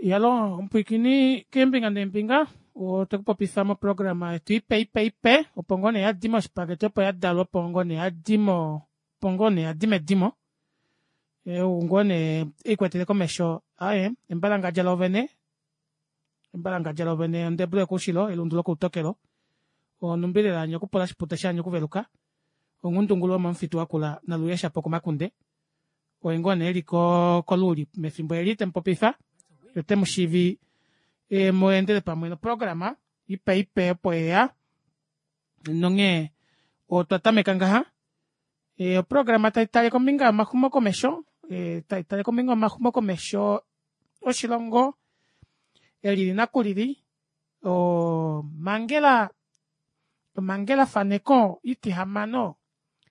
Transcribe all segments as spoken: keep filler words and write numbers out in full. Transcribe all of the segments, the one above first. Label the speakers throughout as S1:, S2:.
S1: Iyaloo omupwiikini keembinga neembinga otwekupopifa moprograma yetu ipe ipe ipe opo ngoo nee yadi moshipakete opo yadalwa opo ngoo nee yadi moo opo ngoo nee yadi medimo ou ngoo nee eikwetele komesho aaye embalangadja loovene embalangadja loovene ondebu yokoushilo elundu lokoutokelo onumbi lela yaanya okupula oshipute shaanya okuveluka onghundungulu yomomufitu wakula naluuya shapo komakunde oye ngoo nee eli koluuli mefimbo eli temupopifa yee otemushivi mweendele pamwe noprograma ipe ipe opo yeya nonghee otwa tameka ngaha oprograma taitale kombinga yomaxumokomesho taitale kombinga yomaxumokomesho oshilongo elili nakulili oo omangela omangela faneko itihamano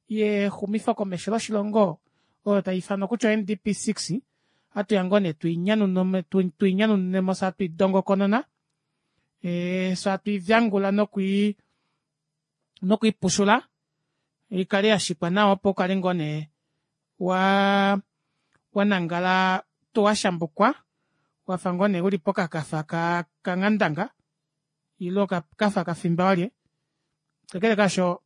S1: yexumifokomesho loshilongo oyo taifanwa kutya o N D P six ohatuya ngoo nee tuinyanununemo fyee hatu idongokonona fyee hatuivyangula nokwii nokwiipushula ikale yashikwa nawa opo ukale ngoo nee waa wanangala tuu washambukwa wafa ngoo nee uli pokakafa kanghandanga ile okafa kafimba walye kakele kaasho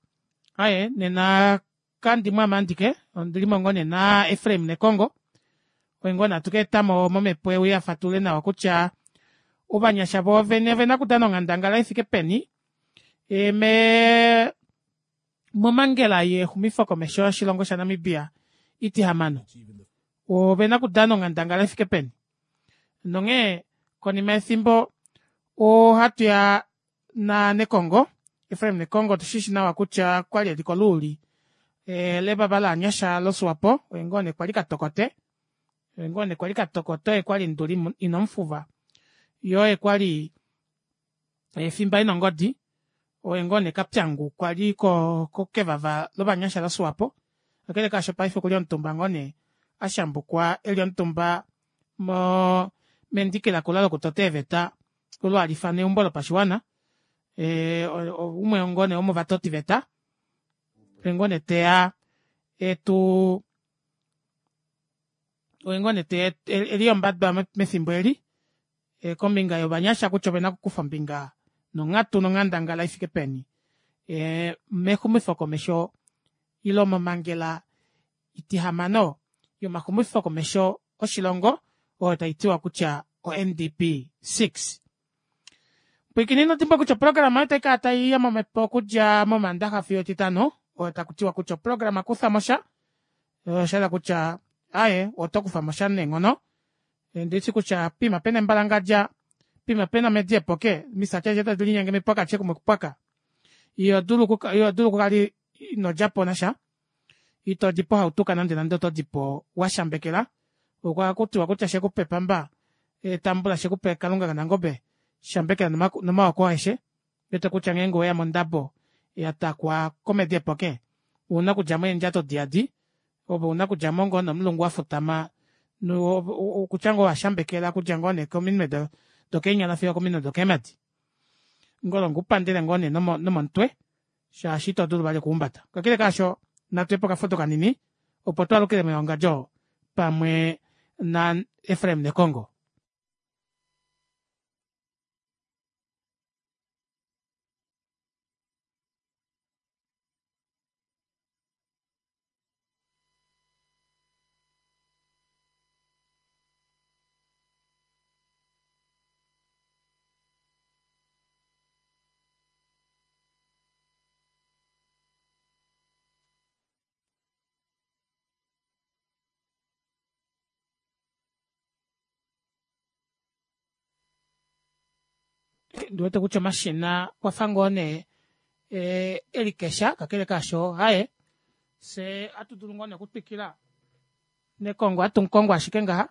S1: aaye nena kandimo aame andike ondilimo ngoo nee na Efraim Nekongo oye ngoo nee hatu kaetamo momepo euye afatulule nawa kutya ovanyasha voovene ovena okudana onghandangala ifike peni mee momangela yexumifokomesho yoshilongo sha namibia itihamano ovena okudana onghandangala ifike peni nonghee konima yefimbo ohatuya na nekongo Efraim Nekongo otushishi nawa kutya okwali eli koluuli levava lovanyasha lo swapo oye ngoo nee kwali katokote oye ngoo nee kwali katokote oye kwali nduli ina mufuva yee oye kwali fimba ena ongodi oye ngoo nee kapyangu kwali kevava lovanyasha lo swapo kakele kaasho paife okuli omutumba ngoo nee ashambukwa eli omutumba moo mendiki lakula lokutota eeveta olo haliifanwa eumbo lopashiwana ee oumwe ngoo nee womovatotiveta oye ngoo nee teya etuu oye ngoo nee teya eli ombadwa mefimbo eli kombinga yovanyasha kutya ovena okukufa ombinga nonghatu nonghandangala ifike peni mexumifokomesho ile momangela itihamano yomaxumifokomesho oshilongo oyo taitiwa kutya o N D P six. Pwiikini inodimbwa kutya oprograma oyo otaikala taiya momepo okudja momandaxa fiyo etitano oyo takutiwa kutya oprograma kufamosha oshahala kutya aaye otokufamosha neenghono ondishi kutya poima pena embalangadja poima pena omedi eepoke omisati adishe tadi linyenge mipwaka adishe kumwe okupwaka ihodulu okukala inodjapo nasha itodipo hautuka nande nande otodipo washambekela ohakutiwa kutya shekupa epamba tambula shekupa kalunga kanangobe shambekela nomaoko aeshe ouwete kutya ngeenge oweya mondabo yatakwa komedi eepoke ouna okudjamo eendjato diyadi ove ouna okudjamo ngoo nomulungu wafutama okutya ngoo owashambekela okudja ngoo neekominwe dokeenyala fiyo okominwe dokeemadi ngolonga upandele ngoo nee nomomutwe shaashi ito dulu vali okuhumbata. Kakele kaasho natuyepo okafudo kanini opo twaalukile mewangadjo pamwe na Efraim Nekongo. Ondiwete kutya omashina okwafa ngoo nee elikesha kakele kaasho aaye fyee ohatudulu ngoo nee okutwikila nekongo ohatu mukongo ashike ngaha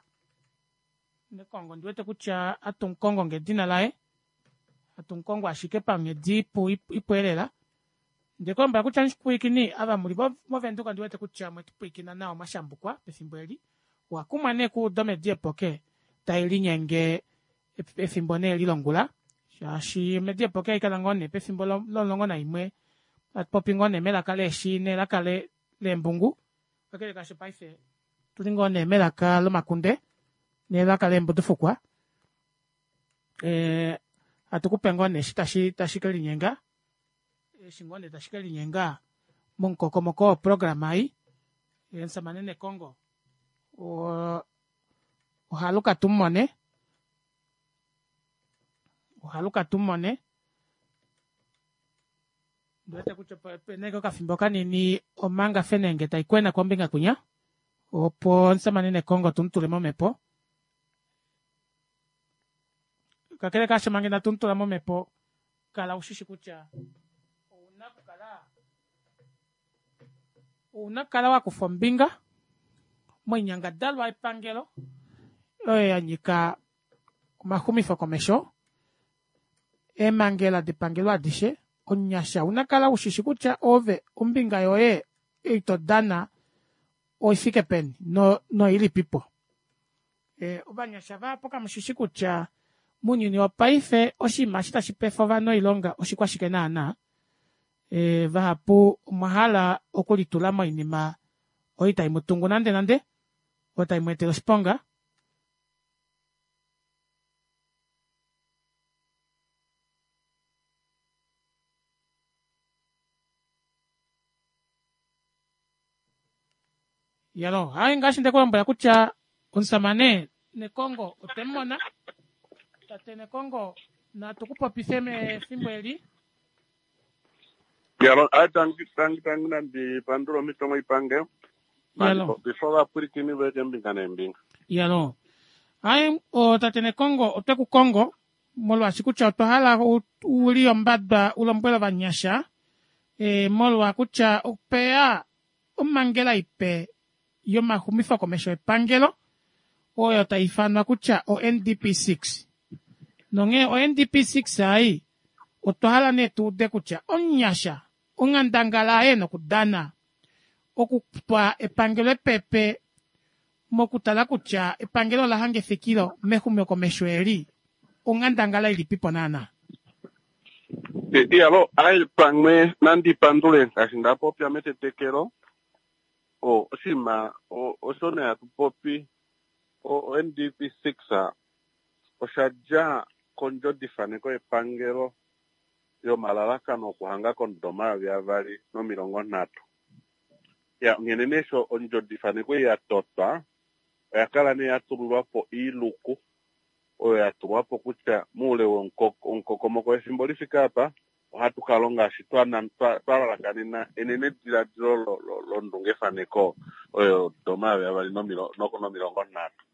S1: nekongo ondiwete kutya ohatu mukongo ngedina laye hatu mukongo ashike panghedi ipu ipu eelela ondekulombwela kutya mupwiikini ava muli mo venduka ondiwete kutya omwetupwilikina nawa mwashambukwa pefimbo eli owakumwa nee okuuda omedi eepoke tailinyenge efimbo nee eli longula shaashi omedi eepoke ohaikala ngoo nee pefimbo lomulongo naimwe hatupopi ngoo nee melaka leeshi nelaka leembungu kakele kaasho paife otuli ngoo nee melaka lomakunde nelaka leembudufukwa Ee hatukupe ngoo nee eshi tashi tashi kelinyenga eshi ngoo nee tashi kelinyenga momukokomoko woprograma ei omushamane Nekongo oo ohaluka tumumone ohaluka tumumone ondiwete kutya opena ashike okafimbo kanini omanga fenenge taikwena kombinga kwinya opo omushamane Nekongo tumutule momepo kakele kaasho manga ina tumutula momepo kala ushishi kutya ouna okukala ouna okukala wakufa ombinga moinyangadalwa yepangelo oyo yanyika omaxumifo komesho eemangela depangelo adishe omunyasha ouna okukala ushishi kutya ove ombinga yoye ei todana oifike peni noilipipo. Ovanyasha vahapu kamushishi kutya mounyuni wopaife oshinima eshi tashi pefa ovanhu oilonga oshikwashike naana vahapu omwahala okulitula moinima oyo itaimutungu nande nande oyo taimweetele oshiponga iyaloo aaye ngaashi ndekulombwela kutya omushamane Nekongo otwemumona tate Nekongo natu kupopife mefimbo eli.
S2: Yalo, ayi tangi tangi tangi nandi pandula omhito moipange
S1: Yalo.
S2: before ovapwilikini voye keembinga neembinga.
S1: Iyaloo aaye tate Nekongo otwe kukongo molwaashi kutya otwa hala uli ombada ulombwele ovanyasha ee molwa kutya opeya omangela ipe yomaxumifo komesho epangelo oyo taifanwa kutya o N D P six nonghee o N D P six ai otwa hala nee tuude kutya omunyasha onghandangala aye nokudana okutwa epangelo epepe mokutala kutya epangelo ola hanga efikilo mexumokomesho eli onghandangala ilipipo naana.
S2: Iyalo, ayi pamwe nandi pandule ngaashi ndapopya metetekelo o oshinima osho nee hatu popi o N D P six osha dja kondjodifaneko yepangelo yomalalakano okuhanga komudo omayovi avali nomilongo nhatu. Ya, nghene nee sho ondjodifaneko ei ya totwa oya kala nee ya tulilwa po iiluku oyo ya tulwa po kutya moule womukokomoko wefimbo lifike apa ohatu ka longa eshi twalalakanena enenediladilo londungefaneko oyo omayovi avali nomilongo nhatu.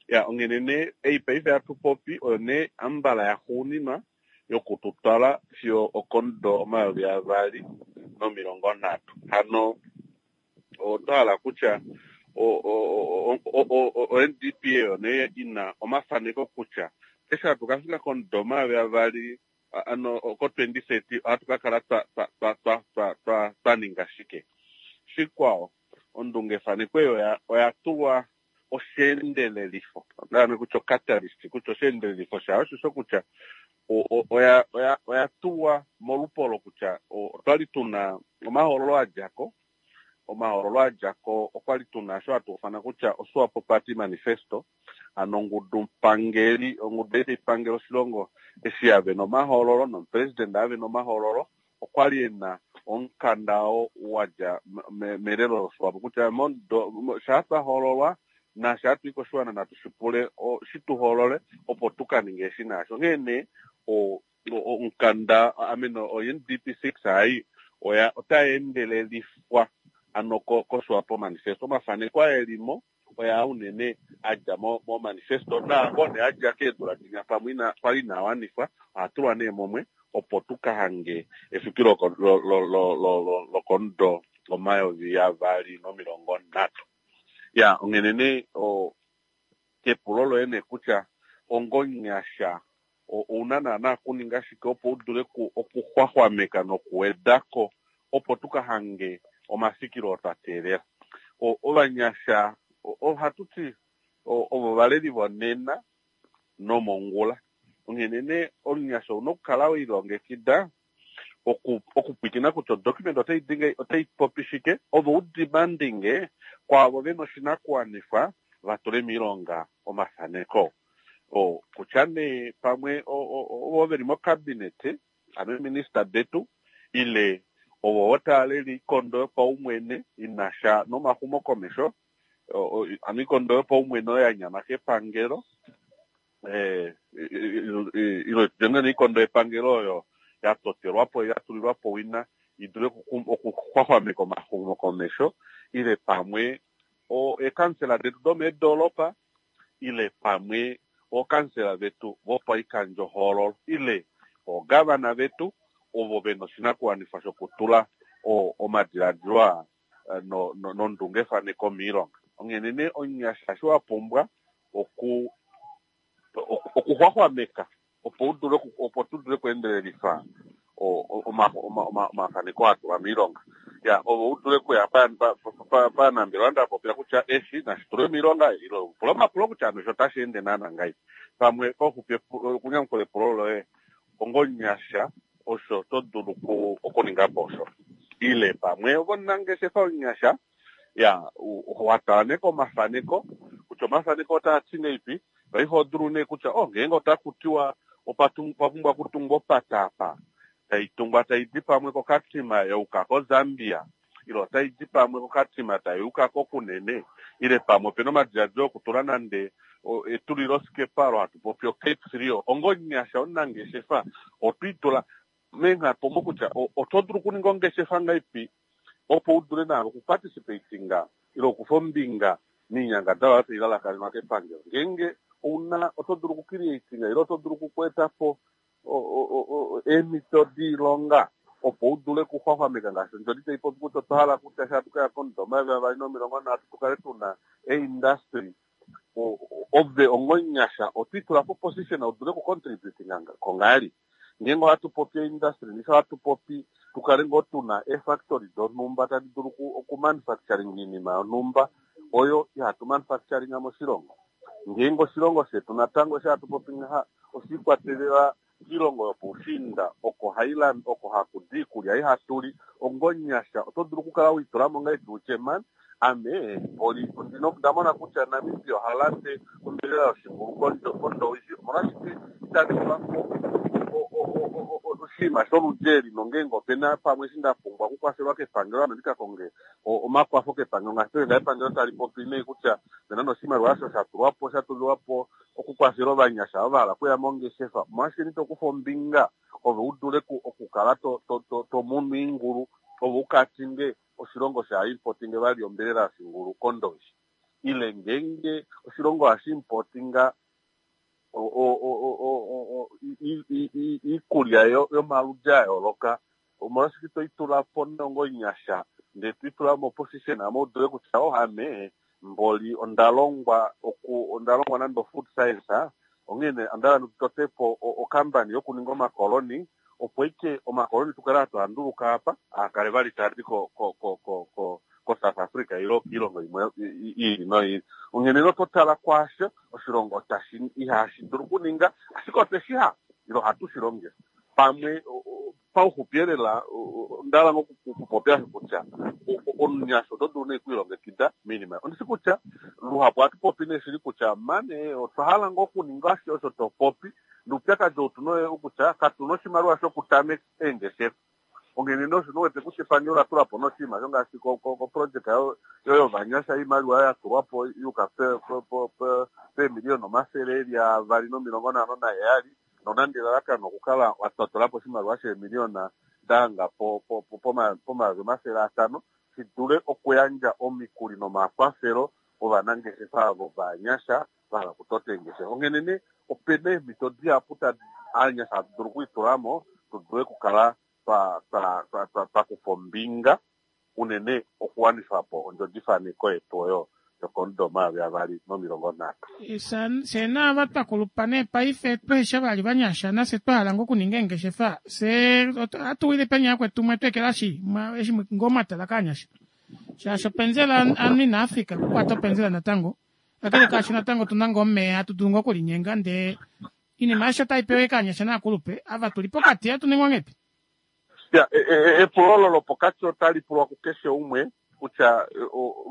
S2: Ya, onghene nee ei paife hatu popi oyo nee ambala yaxuuninwa yokututwala fiyo okomudo omayovi avali nomilongo nhatu. Hano otwa hala kutya o N D P oyo nee ina omafaneko kutya eshi hatu kafika komudo omayovi avali ano ko twenty thirty ohatu ka kala twa twa twa twa twa twa ninga shike. Shikwao ondungefaneko eyo oya tulwa osheendelelifo ndaame kutya catalyst kutya osheendelelifo shayo osho kutya oya oya oya tulwa molupolo kutya otwali tuna omahoololo adjako omahoololo adjako okwali tuna sho hatu ufana kutya oSwapo Party Manifesto ano ongudu pangeli ongudu ei pangelo oshilongo eshi yave nomahoololo nomupresident ave nomahoololo okwali ena omukanda oo wadja melelo loSwapo kutya shaa twahoololwa nasha hatu i koshiwana natu shipule shituhoolole opo tukaninge eshi naasho. Onghee nee omukanda ameno o N D P six ai oya otai endelelifwa ano koSwapo Manifesto. Omafaneko aelimo oya unene adja mo manifesto naango nee adja keedula dinya pamwe ina kwali inawanifwa ohatulwa nee mumwe opo tukahange efikilo lokomudo omayovi avali nomilongo nhatu. Ya, onghene nee kepulo loye nee kutya ongonyasha ouna naana okuninga shike opo udule okuxwaxwameka nokuwedako opo tukahange omafikilo oo twa teelela. Ovanyasha ohatu ti ovo valeli vonena nomongula. Onghene nee omunyasha ouna okukala welilongekida okupwilikina kutya odocument otai dinge otai popi shike ovo udemandinge kwaavo vena oshinakuwanifwa vatule miilonga omafaneko. O kutya nee pamwe ovo veli mokabinete, ano eeminista detu, ile ovo taaleli ikondo yopaumwene inasha nomaxumokomesho, ano ikondo yopaumwene oyo ya nyama kepangelo, eh, ile tutye ikondo yepangelo oyo ya totelwapo ya tulilwapo wina idule okuxwaxwameka omaxumokomesho, ile pamwe eekansela detu domeedolopa, ile pamwe ookansela vetu vopaikandjohoololo, ile oogavana vetu ovo vena oshinakuwanifwa shokutula omadiladilo aa nondungefaneko miilonga. Onghene nee omunyasha eshi wa pumbwa oku okuxwaxwameka opo udule opo tu dule okuendelelifa omafaneko a tulwa miilonga. Ya ovo u dule okuya panambelewa ndapopya kutya eshi nashi tulwe miilonga, ile pula omapulo kutya ano osho otashi ende naana ngahelipi. Pamwe pauxupi okunyamukula epulo loye ongomunyasha osho to dulu okuninga po osho. Ile pamwe omunangeshefa omunyasha ya watala nee komafaneko kutya omafaneko otaa ti ngeipi, paife oho dulu nee kutya oh ngeenge otaku tiwa opa pumbwa okutungwa opata apa, tai tungwa tai di pamwe koKatima yauka koZambia, ile otai di pamwe koKatima tai uka koKunene, ile pamwe opena omadiladilo okutula nande etulilosikepa olo hatu popi oCape three. Ongomunyasha omunangeshefa otwiitula meenghatu omo kutya oto dulu okuninga ongeshefa ngaipi opo u dule naave okuparticipatinga ile okufa ombinga miinyangadalwa oyo tai lalakanenwa kepangelo. Ngeenge ouna oto dulu okucreatinga ile oto dulu okukweetapo eemhito diilonga opo u dule okuxwaxwameka ngaashi ondjodi tai popi kutya otwa hala kutya eshi hatu kaya komudo omayovi avali nomilongo nhatu tukale tuna eindustry. Ove ongomunyasha otwiitula po position u dule okucontributinga kongahelipi. Ngeenge ohatu popi eindustry, ndishi ohatu popi tukale ngoo tuna eefactory donhumba tadi dulu okumanufacturing iinima yonhumba oyo ihatu manufacturinga moshilongo. Ngeenge oshilongo shetu natango eshi hatu popi ngaha oshiikwatelela kiilongo yopoushiinda oko hailanda oko hakudi iikulya ihatuli, ongomunyasha oto dulu okukala wiitulamo ngahelipi utye man ame oli onda mona kutya Namibia oha lande ombelela yoshingulu kOndowishi, omolwashike itandi tulapo oshinima sholudi eli, nongeenge opena pamwe eshi nda pumbwa okukwafelwa kepangelo ame ndika konge omakwafo kepangelo, ngaashi nga epangelo tali popi nee kutya opena noshimaliwa osho sha tulwapo sha tulilwapo okukwafela ovanyasha ovo va hala okuya mongeshefa, omolwashike nito kufa ombinga ove u dule okukala to to to munu oingulu ove ukatinge oshilongo sha importinge vali ombelela yoshingulu kOndowishi, ile ngeenge oshilongo hashi importinga iikulya yomaludi a yooloka, omolwashike to itula po nongomunyasha ndee to itula mo position amo u dule kutya oh ame mboli onda longwa oku onda longwa nande food science, onghene onda hala nditote po okampani yokuninga omakoloni opo ike omakoloni tukale hatu a nduluka apa akale vali taadi ko ko ko ko ko South Africa ile kiilongo imwe iili noiili. Onghene oto tala kwaasho oshilongo tashi ihashi dulu okuninga, ashike otweshi hala ile ohatu shi longifa pamwe. Pauxupi elela onda hala ngoo okupopya kutya omunyasha oto dulu nee okwiilongekida miinima. Ondishi kutya luhapu ohatu popi nee shili kutya mane otwa hala ngoo okuninga ashihe osho to popi, noupyakadi ou tuna oyo kutya katuna oshimaliwa shokutameka eengeshefa. Onghene nee osho wete kutya epangelo ola tula po noshinima sho ngaashi koprojeka yovanyasha oimaliwa ya tulwa po yuka peemiliyona omafele eli avali nomilongo nhano naheyali, nonande elalakano okukala watwatula po oshimaliwa sheemiliyona dahanga pomayovi omafele atano shi dule okuyandja omikuli nomakwafelo ovanangeshefa avo vanyasha va hala okutota eengeshefa. Onghene nee opena eemhito dihapu ovanyasha hatu dulu okwiitulamo tu dule okukala twa kufa ombinga unene okuwanifa po ondjodifaneko yetu oyo yokomudo omayovi avali nomilongo nhatu.
S1: Fye naava twa kulupa nee paife tweesha vali vanyasha nafye twa hala ngoo okuninga eengeshefa, fye ohatu wile peni yakwetu mwe twekelashi eshi ngoo mwatala kaanyasha, shaashi openzela anu inafika okukwata openzela natango, kakele kaasho natango otuna ngoo omeya hatu dulu ngoo okulinyenga, ndee iinima aishe otai pewa kaanyasha naakulupe ava tuli pokati hatu ningwa ngeipi?
S2: Ya epulo olo lopokati otali pulwa kukeshe umwe kutya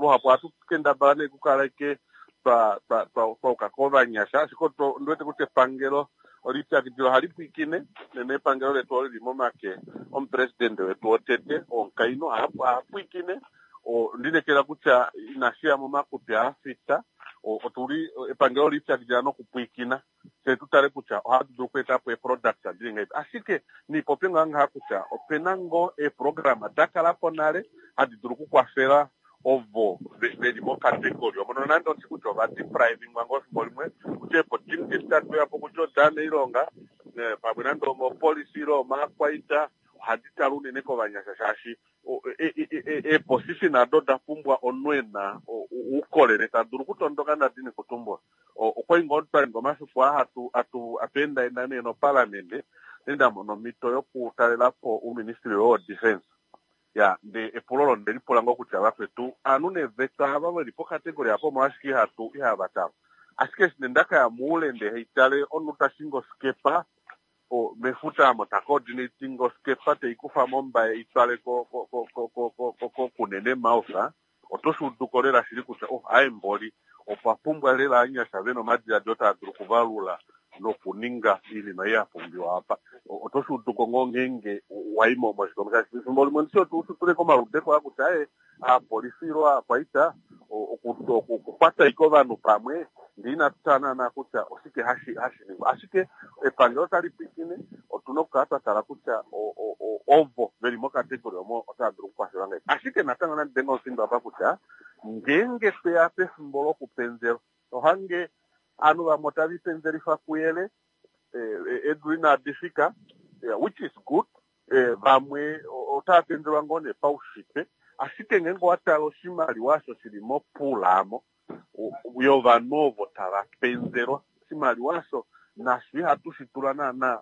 S2: luhapu ohatu kendabala nee kukala ike twa twa twauka kovanyasha, ashike ondi wete kutya epangelo olipyakidila ohali pwiikine nene epangelo letu oli li momake omupresidente wetu wotete omukainhu oha pwiikine. Ondinekela kutya inashi ya momakutwi aafita, otuli epangelo olipyakidila nokupwiikina fye tutale kutya ohatu dulu okweeta po eeproduct dili ngahelipi. Ashike niipopye ngaa ngaha kutya opena ngoo eeprograma da kala po nale hadi dulu okukwafela ovo veli mokategori omo, nonande ondi kutya ova deprivingwa ngoo efimbo limwe kutya eeopportunity tadi po kutya odaanailonga pamwe nande omopolisi ile omaakwaita, ohadi tala unene kovanyasha shaashi eeposition ado oda pumbwa omunhu ena uukolele ta dulu okutondoka ndadini kutumbula. Okwali ngoo twali ngoo omafiku aa hatu hatu endaenda nee nopalamende nda mona omhito yokutalela po uuministry wo defense. Ya nde epulo olo nde lipula ngoo kutya vakwetu aanhu neeveta ava veli pokategori apo omolwashike ihatu ihava talwa. Ashike eshi nee ndakaya moule nde haitale omunhu tashingi osikepa mefuta amo ta coordinating osikepa teikufa mombaye itwale koKunene Mouth, oto shi uduko lela shili kutya oh aye mboli opwa pumbwa lela anyasha vena omadiladilo taa dulu okuvalula nokuninga oinima ei ya pumbiwa apa. Oto shi uduko ngoo ngeenge waimo moshikondo shaashi efimbo limwe ndishi otu tule komaludeko a kutya aye aapolisi ilo aakwaita okukwata ashike ovanhu pamwe ndee inatu tala naana kutya oshike hashi hashi ningwa. Ashike epangelo tali pwiikine, otuna okukala twa tala kutya ovo veli mokategori omo otava dulu okukwafelwa ngahelipi. Ashike natango nandi denge omufindo apa kutya ngeenge tweya pefimbo lokupenzelwa ohange ovanhu vamwe otava ipenzelifa kuyele eedula inadi fika, which is good, vamwe otava penzelwa ngoo nee paushitwe. Ashike ngeenge owa tala oshimaliwa osho shili mopool amo yovanhu ovo tava penzelwa, oshimaliwa osho nasho ihatu shi tula naana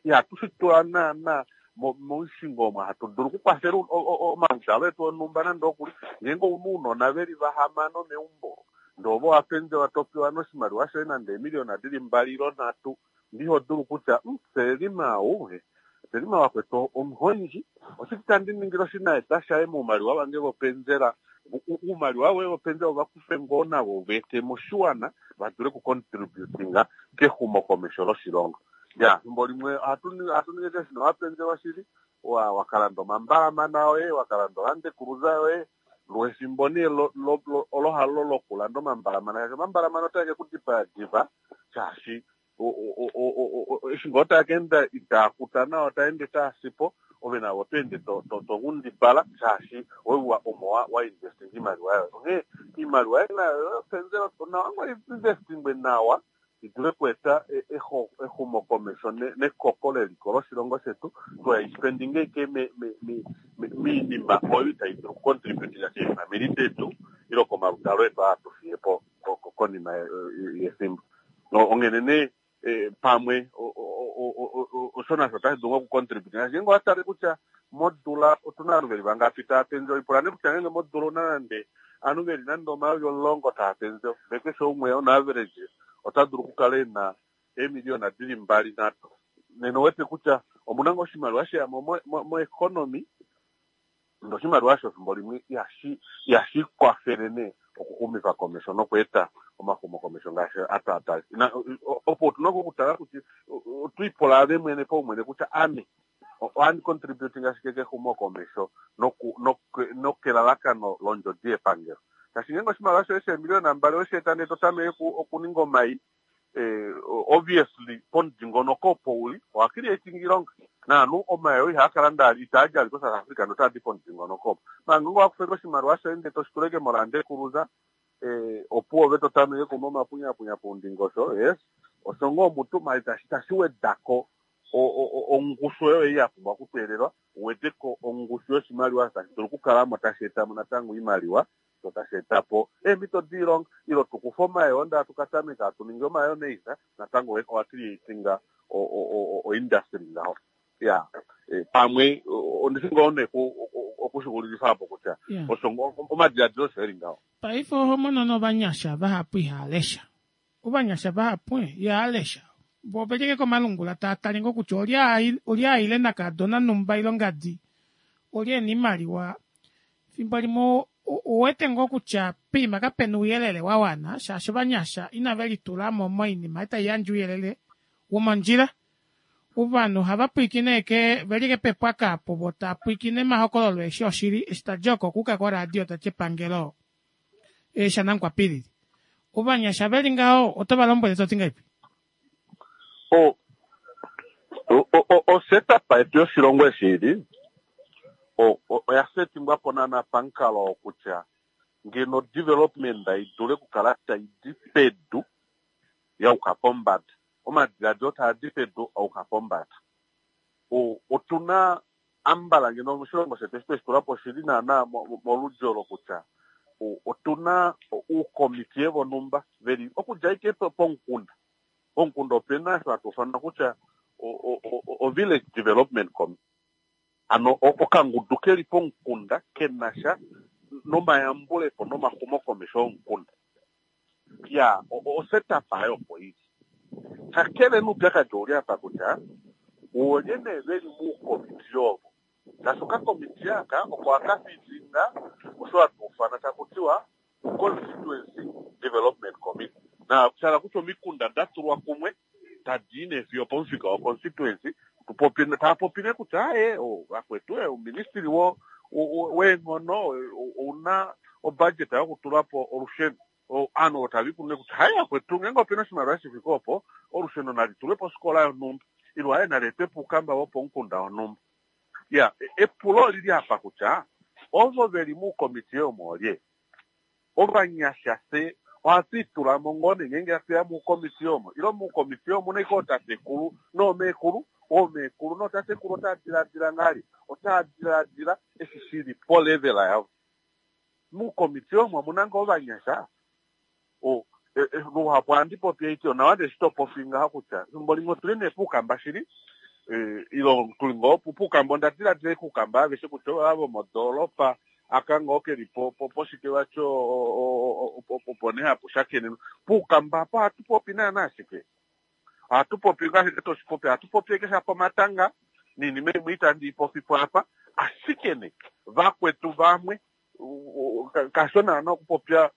S2: ihatu shi tula naana momushingo omo hatu dulu okukwafela omaludalo etu onhumba nande okuli. Ngeenge ouna ounona veli vahamano meumbo ndee ovo wa penzelwa topewa noshimaliwa shoye nande eemiliyona dili mbali ilo nhatu, ndiho dulu kutya Selima ou Selima wakwetu omuhondji, oshike tandi ningile oshinaeta shaye moumaliwa vange vopenzela, oumaliwa woye vopenzela ovakufe ngoo navo va ete moshiwana va dule okucontributinga kexumokomesho loshilongo. Ya efimbo limwe ohatu ningi keshe wapenzelwa shili wakalanda omambalamana oye, wakalanda oLand Cruiser yoye, lwefimbo nee olo halo lokulanda omambalamana shaashi omambalamana otae ke kudipaya diva shaashi eshi ngoo taa ka enda itaa kuta nawa taa ende taa sipo, ove navo oto ende to nghundipala shaashi oiwa omo wa investinga iimaliwa yoye. Onghee iimaliwa yoye nayo yopenzela onawa ngoo investingwe nawa i dule okweeta exumokomesho nekoko leliko loshilongo shetu, tuhayi ashike miinima oyo itayi dulu okucontributinga keefamili detu ile komaludalo etu aa hatu fiye po konima yefimbo. Onghene nee pamwe osho nasho otashi dulu okucontributinga. Ngeenge owa tale kutya modula otuna ovanhu veli vangapi tava penzelwa, ipula nee kutya ngeenge modula ouna nande ovanhu veli nande omayovi omulongo tava penzelwa, ndee keshe umwe on average ota dulu okukala ena eemiliyona dili mbali nhatu, nena owete kutya omuna ngoo oshimaliwa sheyamo moeconomy, ndee oshimaliwa osho efimbo limwe ihashi kwafele nee okuxumifa komesho nokweeta omaxumokomesho ngaashi atwaatale. Opo otuna okutala kutya otwiipula ave mwene paumwene kutya ame ohandi contributing ashike kexumokomesho nokelalakano londjodi yepangelo. Shaashi ngeenge oshimaliwa shoye sheemiliyona mbali oweshi eta ndee to tameke okuninga omai, obviously pomudingonoko opo uli owa creating iilonga naanhu omai oo ihaa kala itaadi ali koSouth Africa notaadi pomudingonoko opo. Maala ngeenge owa kufeko oshimaliwa shoye ndee toshi tuleke moLand Cruiser, opuwo ove to tameke okunwa omapunyapunya poundingosho, yes osho ngoo mutu maala itashi wedako ongushu oyo ei ya pumbwa okuteelelwa, uweteko ongushu yoshimaliwa tashi dulu okukalamo tashi etamo natango oimaliwa sho tashi etapo eemhito doilonga, ile tukufe omayoo ndee hatu katameka hatu ningi omayonnaise, natango owa creatinga oindustry ngaho. Ya pamwe ondishi ngoo nee okushixulifa apo kutya osho omadiladilo osho eli ngaho.
S1: Paife oho mono novanyasha vahapu ihava lesha, ovanyasha vahapu ihava lesha, vo oveli ashike komalungula tava tale ngoo kutya olye aile nakadona numba ile ongadi, olye ena oimaliwa. Efimbo limwe Uwete ngoo kutya poima kapena ouyelele wa wana shaashi ovanyasha inave litulamo moinima tai yandje ouyelele womondjila. Ovanhu ohava pwiikine ke veli kepepwaka apo vo taapwiikine omahokololo eshi oshili eshi tadi oko okuuka koradio tati epangelo shanankwapilili. Ovanyasha veli ngaho oto va lombwele toti ngahelipi?
S2: O o setup yetu yoshilongo eshi ili oya setingwa po naana pamukalo kutya ngeno development idule okukala tai di pedu yauka pombada, omadiladilo taa di pedu auka pombada. Otuna ambala ngeno moshilongo shetu eshi tweshi tula po oshili naana moludji olo kutya otuna uukomitiye vonhumba veli okudja ike pomukunda. Pomukunda opena osho hatu ufana kutya o village development committee, ano okangudu keli pomukunda kenasha nomayambulepo nomaxumokomesho omukunda. Ya o setup ayo opo ili. Kakele nuupyakadi ouli apa kutya oolye nee veli muukomitiye ovo, shaashi okakomitiye aka oko haka fitinga osho hatu ufana taku tiwa constituency development committee, na shala kutya omikunda da tulwa kumwe tadi i nee fiyo pomufika wa constituency, taa popine kutya aye vakwetu ouministili weenghono ouna obudget yokutula po olusheno. Ovanhu otava ikune kutya haye vakwetu ngeenge opena oshimaliwa shifike opo olusheno nali tulwe posikola yonhumba ilo aye nali etwe puukamba wopomukunda wonhumba. Ya epulo olili apa kutya ovo veli muukomitiye omo olye ovanyasha se ohatu itula mo ngoo nee ngeenge hatu ya muukomitiye omo ilo muukomitiye omuna ike ootatekulu noomeekulu, oomeekulu nootatekulu otaa diladila ngahelipi, otaa diladila eshi shili polevel yavo. Muukomitiye omo omuna ngoo ovanyasha o luhapu ohandi popi eiti onawa nde shi topopi ngaho kutya efimbo limwe otuli nee puukamba shili ilo tuli ngoo puukamba, onda diladila kuukamba aveshe kutya ova vomodoolopa aka ngoo keli poshike vacho opo nee hapu shakenenwa. Puukamba apo ohatu popi naana ashike, ohatu popi ngaashi toshipopi, ohatu popi eke shapo omatanga niinima imwe itandi ipopi po apa, ashike ne vakwetu vamwe kasho naana okupopya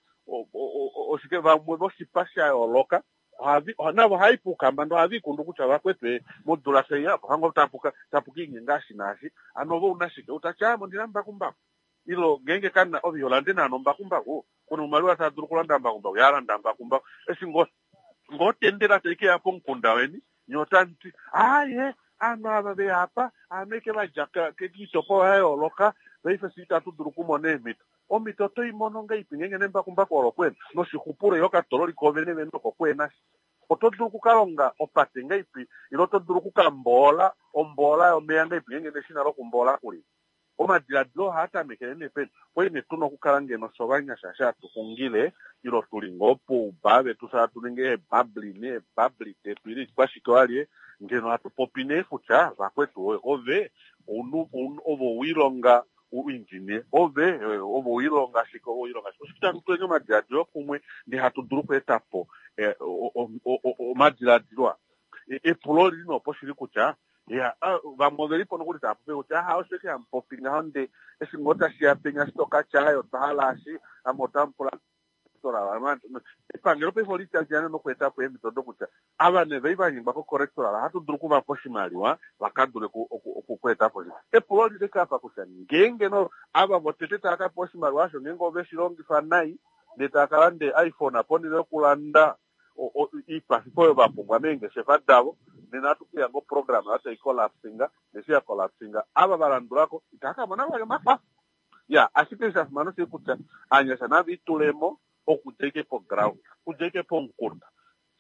S2: oshike vamwe voshipa sha yooloka navo ohai puukamba ndo ohava ikundu kutya vakwetu modula tai apo hango tapuka tapuka inyenga ashi naashi ano ove una shike utati amo ondina mbakumbaku ilo ngeenge kana ove iholande naana ombakumbaku kuna oimaliwa taa dulu okulanda mbakumbaku yalanda mbakumbaku eshi ngoo ngoo tendela tai keya pomukunda weni nye otamuti aye aanhu ava veya apa aanhu eke vadja kiitopolwa ya yooloka paife si itatu dulu okumona eemhito. Omhito oto i mono ngahelipi ngeenge nembakumbaku olo kwena noshixupulo ile okatololi kovene vene oko kwena shi oto dulu okukalonga opate ngahelipi ile oto dulu okukamboola omboola yomeya ngahelipi ngeenge neshina lokumboola kuli. Omadiladilo ohaa tamekele nee peni kwali nee tuna okukala ngeno sovanyasha sha tuxungile ilo tuli ngoo pouba vetu sha hatu ningi eebabli neebabli detu ile kwashike walye ngeno hatu popi nee kutya vakwetu ove ove owilonga uinginie ove ove owilonga shike ove owilonga shike oshike tatu tuleni omadiladilo kumwe ndee hatu dulu okweeta po omadiladilo a. Epulo olili nopo shili kutya ya vamwe oveli po nokuli tava popi kutya aha osho eke hamupopi ngaho nde eshi ngoo tashiya penya shitoka tyayo otwa hala ashi ame otamupula epangelo paife olitaliana nokweeta po eemhito dokutya ava nee vai vanyengwa kocorrectoral ohatu dulu okuvapa oshimaliwa vaka dule okweeta po. Epulo olili apa kutya ngeenge no ava votete tava kapewa oshimaliwa osho ngeenge ove shi longifa nai ndee tava kalande iPhone ponhele yokulanda iikwafifo oyo vapumbwa meengeshefa davo nena ohatu kuya ngo program oyo tai collapsinga neshi ya collapsinga ava valandulako itava kamona vali omakwafo. Ya ashike sha fimana oshili kutya aanyasha nava itulemo okudja ike poground okudja ike pomukunda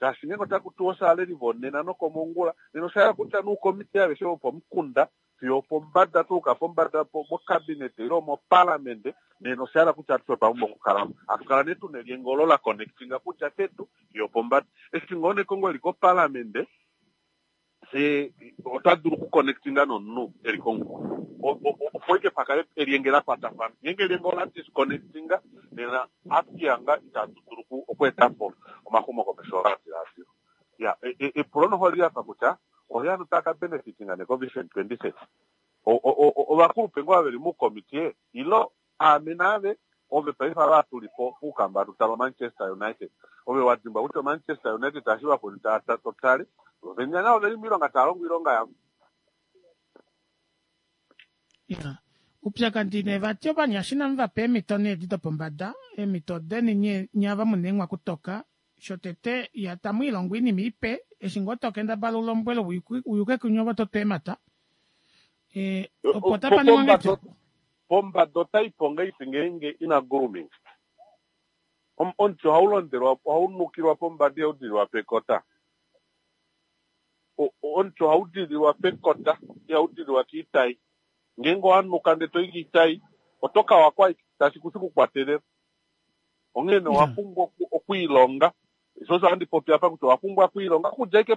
S2: shaashi ngeenge otaku tiwa oshaleli vonena nokomongula nena osha hala kutya nuukomitiye aveshe vopomukunda fiyo opombada tuuka pombada mocabinet ile moparlamente nena osha hala kutya atushe otwa pumbwa okukalamo hatu kala nee tuna elyenge olo la connectinga kutya pedu fiyo opombada eshi ngoo nekongo eli koparlamente se ota dulu okuconnectinga nomunhu eli komukunda opo ike pakale elyenge la kwatafana ngeenge elyenge ola disconnectinga nena atuyanga itatu dulu okweeta po omaxumokomesho omadiladilo. Ya epulo noho oli apa kutya olye anu tava ka benefitinga nekovision twenty thirty ovakulupe ngoo veli muukomitiye ilo aame naave Ove paife ava tuli po pukamba tutala Manchester United. Ove wadimbwa kutya Manchester United tashi vakweni totale. Ove navo veli miilonga taya longo iilonga yavo.
S1: Ya. Upyakadi nee vati ovanyasha inamu va pa eemhito nee edi dopombada, eemhito deni nye ava muna eenghwakutoka, shotete ya tamu ilongo oinima ipe, eshi ngoo tokendabala ulombwele uyuke kunye ovo totwa eemhata. E, opo otapa ningwa ngahelipi?
S2: Pombada otaipo ngahelipi ngeenge ina grooming? Omuti ohau londelwa, ohau nukilwa pombada ihau dililwa pekota. Omuti ohau dililwa pekota, ihau dililwa kiitai. Ngeenge owanuka ndele toyi kiitai, oto kawa ashike tashi ku kukwatelela. Onghene owa pumbwa okwiilonga. Sho osho handi popi apa kutya owa pumbwa okwiilonga okudja ashike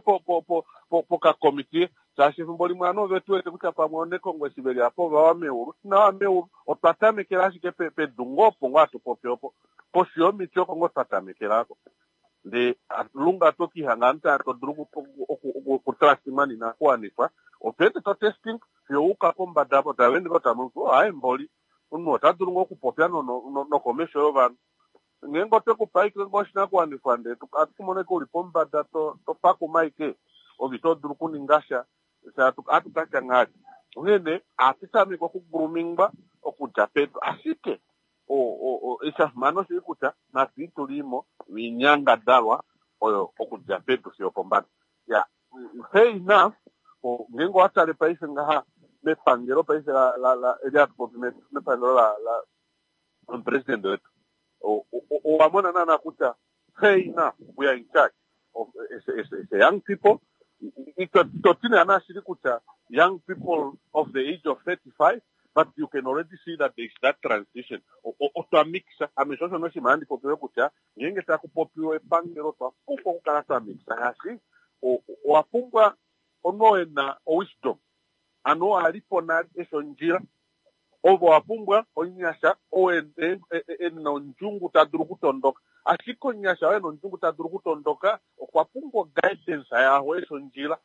S2: pokakomitiye, shaashi efimbo limwe ovanhu ove tu wete kutya pamwe onekongo eshi veli apa ovawa meulu. Inawa meulu, otwa tamekela ashike pedu ngoo opo ngoo hatu popi opo. Koshi yomiti oko ngoo twa tamekelako. Ndee lunga tokihanga ovanhu tava to dulu okutrastima ninakuwanifwa. Otwa ende to testing fiyo uka pombada apo tava ende ngoo tamu aye mboli. Omunhu ota dulu ngoo okupopya nokomesho yovanhu. Ngeenge otwe kupa ashike ngoo oshinakuwanifwa ndee atu kumona ashike uli pombada topakuma ashike, ove ito dulu okuninga sha, atu katya ngahelipi. Onghene ohatu tameke okugroomingwa okudja pedu. Ashike eshafimano oshili kutya natu itulimo oinyangadalwa oyo okudja pedu fiyo pombada. Ya, fair enough, ngeenge owatale paife ngaha mepangelo paife eli hatu popi mepangelo la omupresidente wetu, owamona naana kutya fair enough, we are in charge of as a young people. Ito ti naana shili kutya young people of the age of thirty-five, but you can already see that there is that transition. Otwa mixa. Ame sho osho noshinima handi popile kutya ngeenge taku popiwa epangelo otwa pumbwa okukala twa mixa, shaashi owa pumbwa omunhu oo ena owisdom, ano oo alipo nale eshi ondjila. Ovo owa pumbwa omunyasha oo ena ondjungu ta dulu okutondoka. Ashike omunyasha oo ena ondjungu ta dulu okutondoka okwa pumbwa guidance yaho eshi ondjila.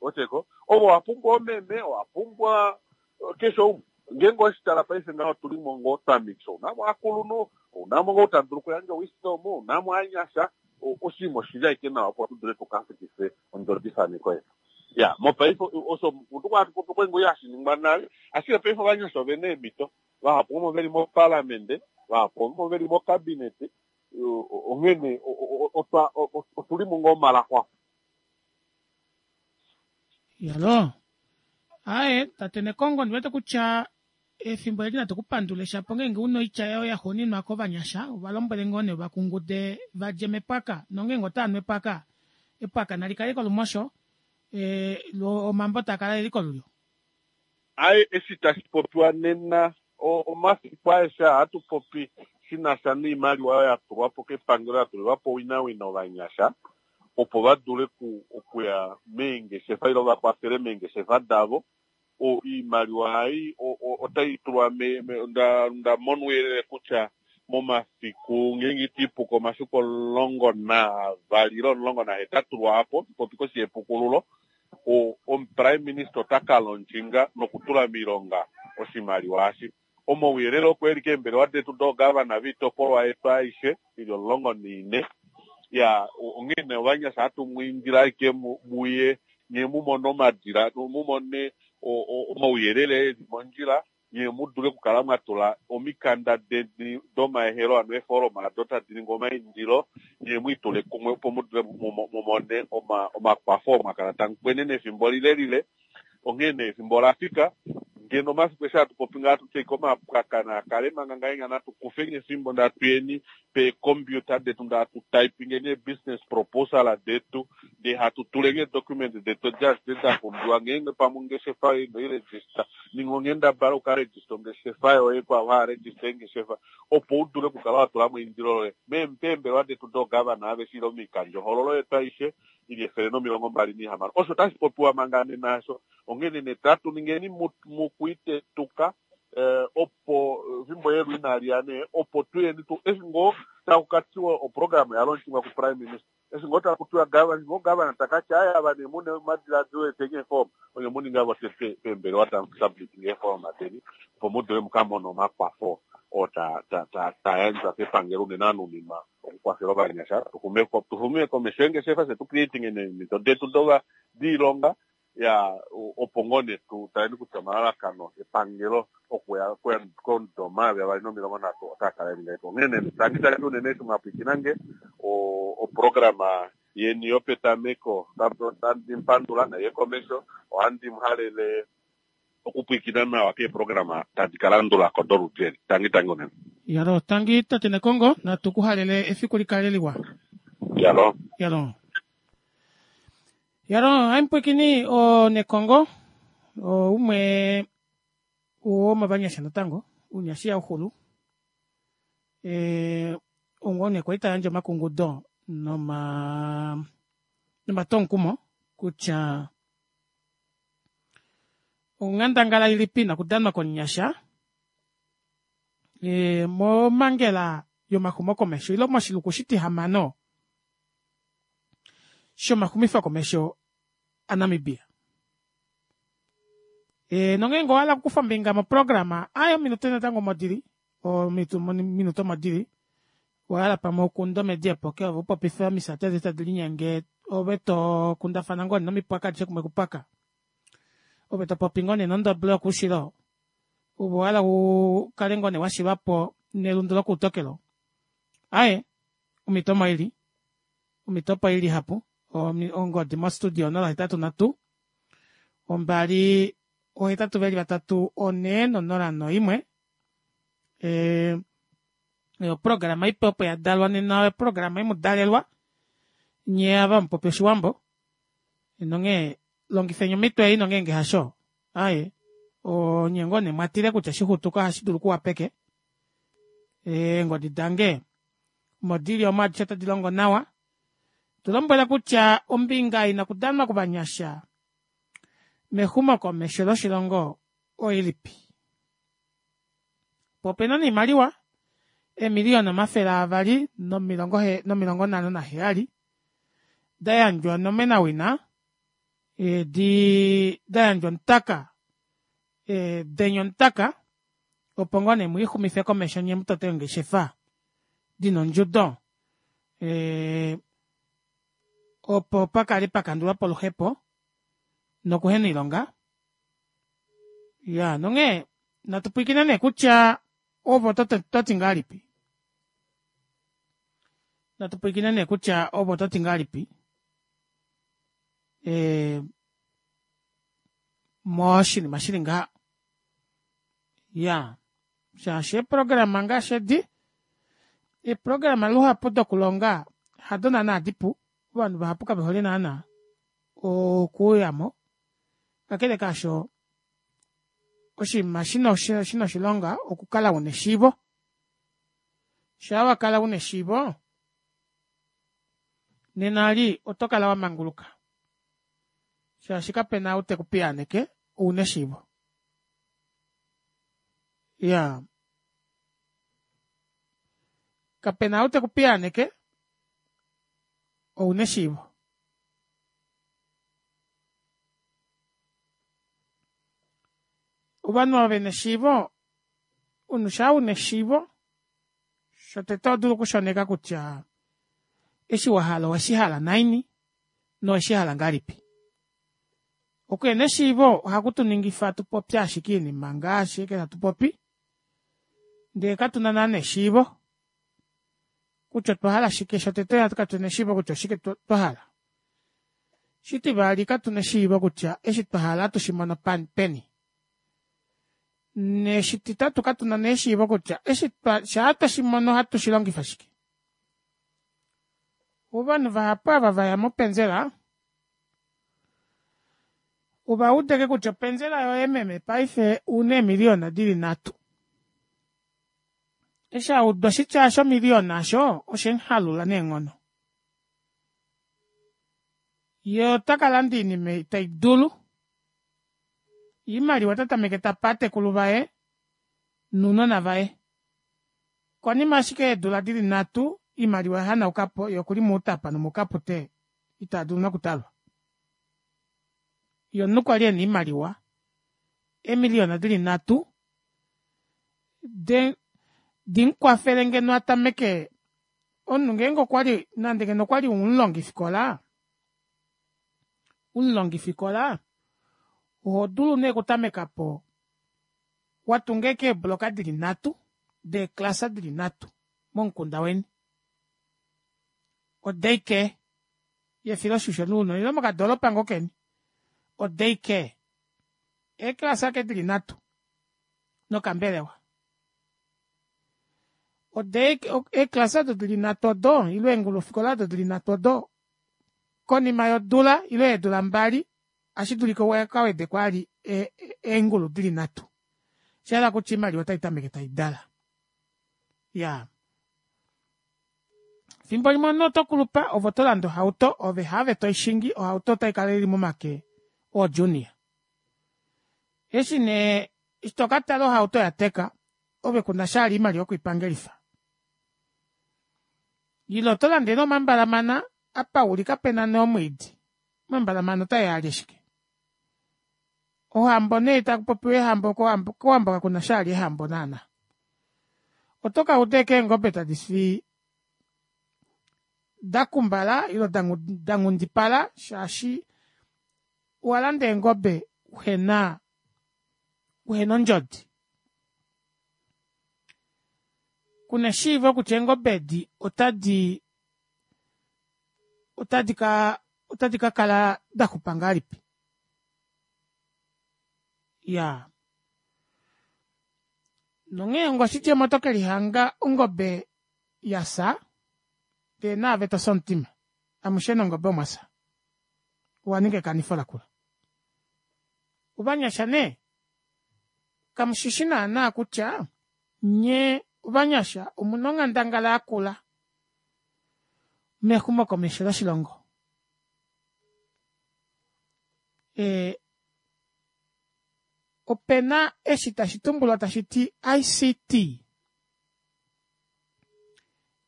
S2: Oteko ovo owa pumbwa omeme, owa pumbwa keshe umwe. Ngeenge oweshitala paife ngaho otulimo ngoo twa mixa. Ounamo ovakulunhu, ounamo ngoo ta dulu okuyandja wisdom, ounamo ovanyasha. Oshinima oshili ashike nawa opo tu dule tukafikife ondjodifaneko yetu. Ya, mopaife osho hatu popi kwenge hashi ningwa nale, ashike paife ovanyasha ovena eemhito. Vahapu omo veli moparlamente, vahapu omo veli mokabinete. Onghene otulimo ngoo omalaxwafu.
S1: Yalo. Aye, tate Nekongo ndiwete kutya efimbo eli natu kupandule shapo ngeenge una oitya yayo ya xuuninwa kovanyasha, ova lombwele ngoo nee vakungude vadje mepwaka, nongeenge otava nu epwaka, epwaka nali kale kolumosho, e, lo omambo taa kala eli kolulyo.
S2: Aye, eshi tashi popiwa nena omafiku aeshe ohatu popi shina sha noimaliwa oyo ya tulwa po kepangelo, ya tulilwa po owinawina ovanyasha opo va dule okuya meengeshefa ile vakwafele meengeshefa davo. Iimaliwa ei otai tulwa, nda mona ouyelele kutya momafiku ngeenge itiipuka omafiku omulongo naavali ile omulongo nahetatu lwaapo, popi koshi yepukululo, omuprime minister ota ka launchinga nokutula miilonga oshimaliwa eshi. Omauyelele oko eli keembelewa detu doogavana viitopolwa yetu aishe ili omulongo naine. Ya, onghene ovanyasha hatu mwiindile ashike muye nye mumone omadila, mumone omauyelele eli mondjila, nye mu dule okukala mwa tula omikanda deni domaehelo, ano eefoloma ado tadi ningi omaindilo, nye mwiitule kumwe opo mu dule mumone omakwafo oo mwakala tamu kwenene efimbo lilelile. Onghene efimbo olafika ngeno omafiku eshi hatu popi ngaha tutye omapwaka naakale manga ngahenya natu kufeni efimbo ndee hatuyeni peecomputer detu ndee hatu typingeni ee-business proposal detu ndee hatu tuleni eedocument detu edi adishe da pumbiwa. Ngeenge pamwe ongeshefa yoye ino iregister, ninga onghendabala ukaregister ongeshefa yoye kwaavo hava register eengeshefa opo u dule okukala wa tula mo eindilo loye peembelewa detu doogavana aveshe ile moikandjohoololo yetu aishe ili efele nomilongo mbali nahamano. Osho tashi popiwa manga nena asho. Onghene nee tatu ningeni mukuitetuka opo efimbo yelu inali ya nee opo tuyeni tu eshi ngoo taku katiwa oprograma ya launchingwa ku prime minister, eshi ngoo taku tiwa gavana, ngoo gavana takati aya ava nee mune omadiladilo eteni eeform, onye muninga votete peembelewa tamu submitting eeforma deni opo mu dule mukamone omakwafo. oo ta ta ta ta yandjwa kepangelo unene anuninwa okukwafela ovanyasha tuxume tuxume komesho eengeshefa fye tu creating eemhito detu dova diilonga ya opo ngoo nee tu taleni kutya omalalakano epangelo okuya komudo omayovi avali nomilongo nhatu otaa kala eli ngahelipi. Onghee tangi tangi unene eshi mwapwikinange oprograma yeni yopetameko otandi mupandula naiye komesho ohandi muhalele okupwiikina nawa keeprograma tadi ka landulako doludi eli. Tangi tangi unene.
S1: Yalo, tangi tate Nekongo, natu ku halele efiku likale liwa.
S2: Yalo.
S1: Yalo. Yalo, haimupwikini o Nekongo, o umwe womovanyasha natango, ounyasha ihauxulu. E, ongone kwali tayandje omakungudo noma nomatonkumo kutya onghandangala ilipi ina okudanwa komunyasha e, momangela yomaxumokomesho ile moshiluku shitihamano shomaxumifokomesho aNamibia. E, nongeenge owahala okukufa ombinga moprograma ayo ominute natango modili ominute omodili wahala pamwe ukunda omedi epoke ove upopife omisati adi tadi linyenge ove tokundafana ngoo nomipwaka adishe kumwe kupwaka ove topopi ngoo nee nondoble yokuushilo ove owahala ukale ngoo nee washilwapo nelundu lokuutokelo aaye omhito omo ili omhito opo ili ihapu ongodi mo studio onola hetatu nhatu ombali ohetatu veli vatatu onhee nonola noimwe ee oprograma ipe opo yadalwa nena oprograma imudalelwa nyee ava hamupopi oshiwambo nonghee longifeni omhito ei nongeenge hasho aaye onye ngoo nee mwatile kutya shixutuka ohashi dulu okuwa peke eengodi dange omo dili omo adishe otadi longo nawa tulombwela kutya ombinga ina okudanwa kovanyasha mexumokomesho loshilongo oilipi po opena noimaliwa eemiliyona omafele avali nomilongo nomilongo nhano naheyali dayandjwa onomenawina di dayandjwa omutaka denya omutaka opo ngoo nee mwiixumife komesho nyee mutote eengeshefa dina ondjudo opo pakale pakandulwapo oluhepo nokuhena oilonga iya nonghee natu pwiikine nee kutya ove ototi ngahelipi natu pwiikine nee kutya ove ototi ngahelipi e moshinima shili ngaha iya shaashi eeprograma ngaashi edi eeprograma luhapu dokulonga hado naana dipu ovanhu vahapu kavehole naana okuuyamo kakele kaasho oshinima shina oshilonga okukala una eshiivo shaa wakala una eshiivo nena eli oto kala wamanguluka shaashi kapena ou tekupiyaaneke ouna eshiivo iyaa kapena ou tekupiyaaneke ouna eshiivo ovanhu ava vena eshiivo omunhu shaa una eshiivo shotete ohodulu okushoneka kutya eshi wahala oweshihala naini noweshihala ngahelipi okuhena eshiivo ohaku tuningifa tupopye ashike oinima ngaashi ashike hatu popi ndee katuna naana eshiivo kutya otwa hala shike shotete katuna eshiivo kutya oshike twahala shitivali katuna eshiivo kutya eshi twahala ohatu shimono peni neshititatu katuna nee eshiivo kutya eshi shaa tweshimono ohatu shilongifa shike ovanhu vahapu ava vaya mopenzela uvaudeke kutya openzela yoye meme paife una eemiliyona dili nhatu eshi auda oshitya osho omiliyona osho oshemuhalula neenghono yee otakalanda oinima ei taidulu oimaliwa ota tameke tape ovatekulu vaye nounona vaye konima ashike yeedula dili nhatu oimaliwa oyahanaukapo yee okuli moutapa nomoukapute itadulu nokutalwa yee omunhu kwali ena oimaliwa eemiliyona dili nhatu de Dimukwafele ngeno atameke omunhu ngeenge okwali nande ngeno okwali umulongifikola omulongifikola ohodulu nee okutamekapo watunga ashike eebloka dili nhatu deeclass dili nhatu momukunda weni o daycare yefiloshisho lounona ile mokadoropa ngoo keni o daycare eeclass ashike dili nhatu nokambelewa eeclass odo dili nhatu odo ile eengulufikola odo dili nhatu odo konima yodula ile yeedula mbali ohashidulika ukawedeko vali eengulu dili nhatu oshahala kutya oimaliwa otaitameke taidala iyaa efimbo limwe omunhu otokulupa ove otolande ohauto ove haave toishingi ohauto otaikala ili momake oo junior eshi nee eshi tokatala ohauto oyateka ove kunasha vali oimaliwa yokwiipangelifa ile otolande nee omambalamana apa uli kapena nee omwiidi omambalamana otaeya alye shike ohambo nee takupopiwa eehambo kowambo kakunasha vali eehambo naana otokauda ashike eengobe tadifi dakumbala ile danghundipala shaashi owalanda eengobe uhena uhena ondjodi kuna eshiivo kutya eengobe edi otadii otadi kaa otadi kakala daxupa ngahelipi iyaa nonghee onga oshidjemo oto kelihanga ongobe yafya ndee naave tofi omutima amushe nongobe omwafya owaninga ekanifo lakula ovanyasha nee kamushishi naana kutya nyee ovanyasha omuna onghandangala yakula mexumokomesho loshilongo ee opena eshi tashi tumbulwa tashiti I_C_T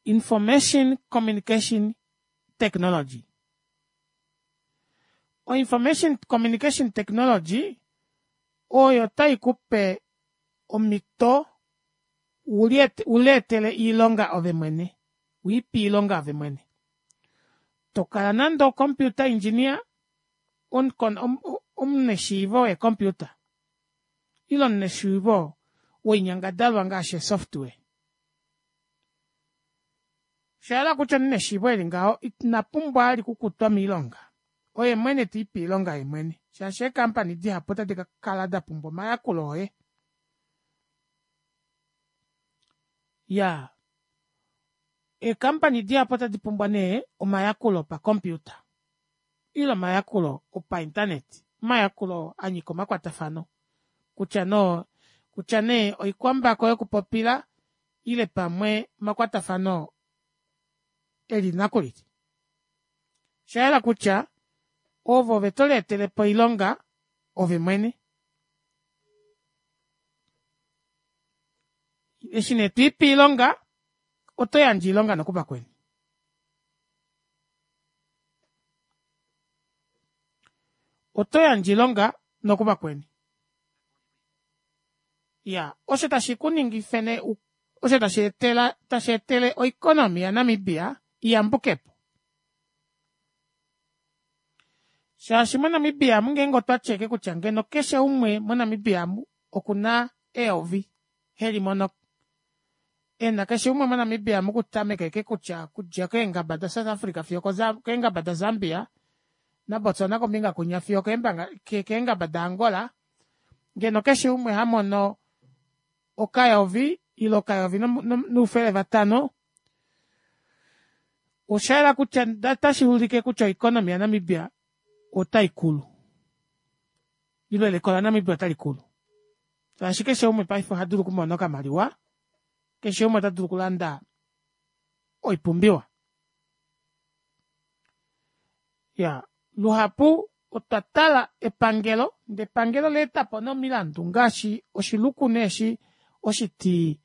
S1: information communication technology o information communication technology oyo taikupe omito uleetele oilonga ove mwene wiipe oilonga ove mwene tokala nande o computer engineer omunashiivo wee computer ile omunashiivo woinyangadalwa ngaashi ee software oshahala kutya omunhu eneshiivo eli ngaho inapumbwa vali okukutwa moilonga oye mwene telipe oilonga yeemwene shaashi ee company dihapu ota dikakala dapumbwa omayakulo oye iyaa ee company dihapu ota dipumbwa nee omayakulo opa computer ile omayakulo opa internet omayakulo anyika omakwatafano kutya nee kutya nee oikwambako yokupopila ile pamwe omakwatafano elili nakulili oshayela kutya ove ove toleetelepo oilonga ove mwene eshi nee twiipe oilonga otoyandje oilonga nokuvakweni otoyandje oilonga nokuvakweni iyaa osho tashi kuningifa nee osho tasheetele tasheetele o economy ya namibia iyambukepo shaashi mo namibia omu ngenge otwati ashike kutya ngeno keshe umwe mo namibia omu okuna eyovi helimono ena keshe umwe mo namibia omu okutameka ashike kutya okudja keengaba da south africa fiyo okeengaba da zambia na botswana kombinga kwinya fiyo okeengaba da angola ngeno keshe umwe hamono okayovi ile okayovi noufele vatano oshayela kutya otashuulike kutya o economy ya namibia otaikulu ile eliko la namibia otalikulu shaashi keshe umwe paife ohadulu okumona okamaliwa keshe umwe otadulu okulanda oipumbiwa iyaa luhapu otwa tala epangelo ndee epangelo olaetapo nee omilandu ngaashi oshiluku nee eshi oshiti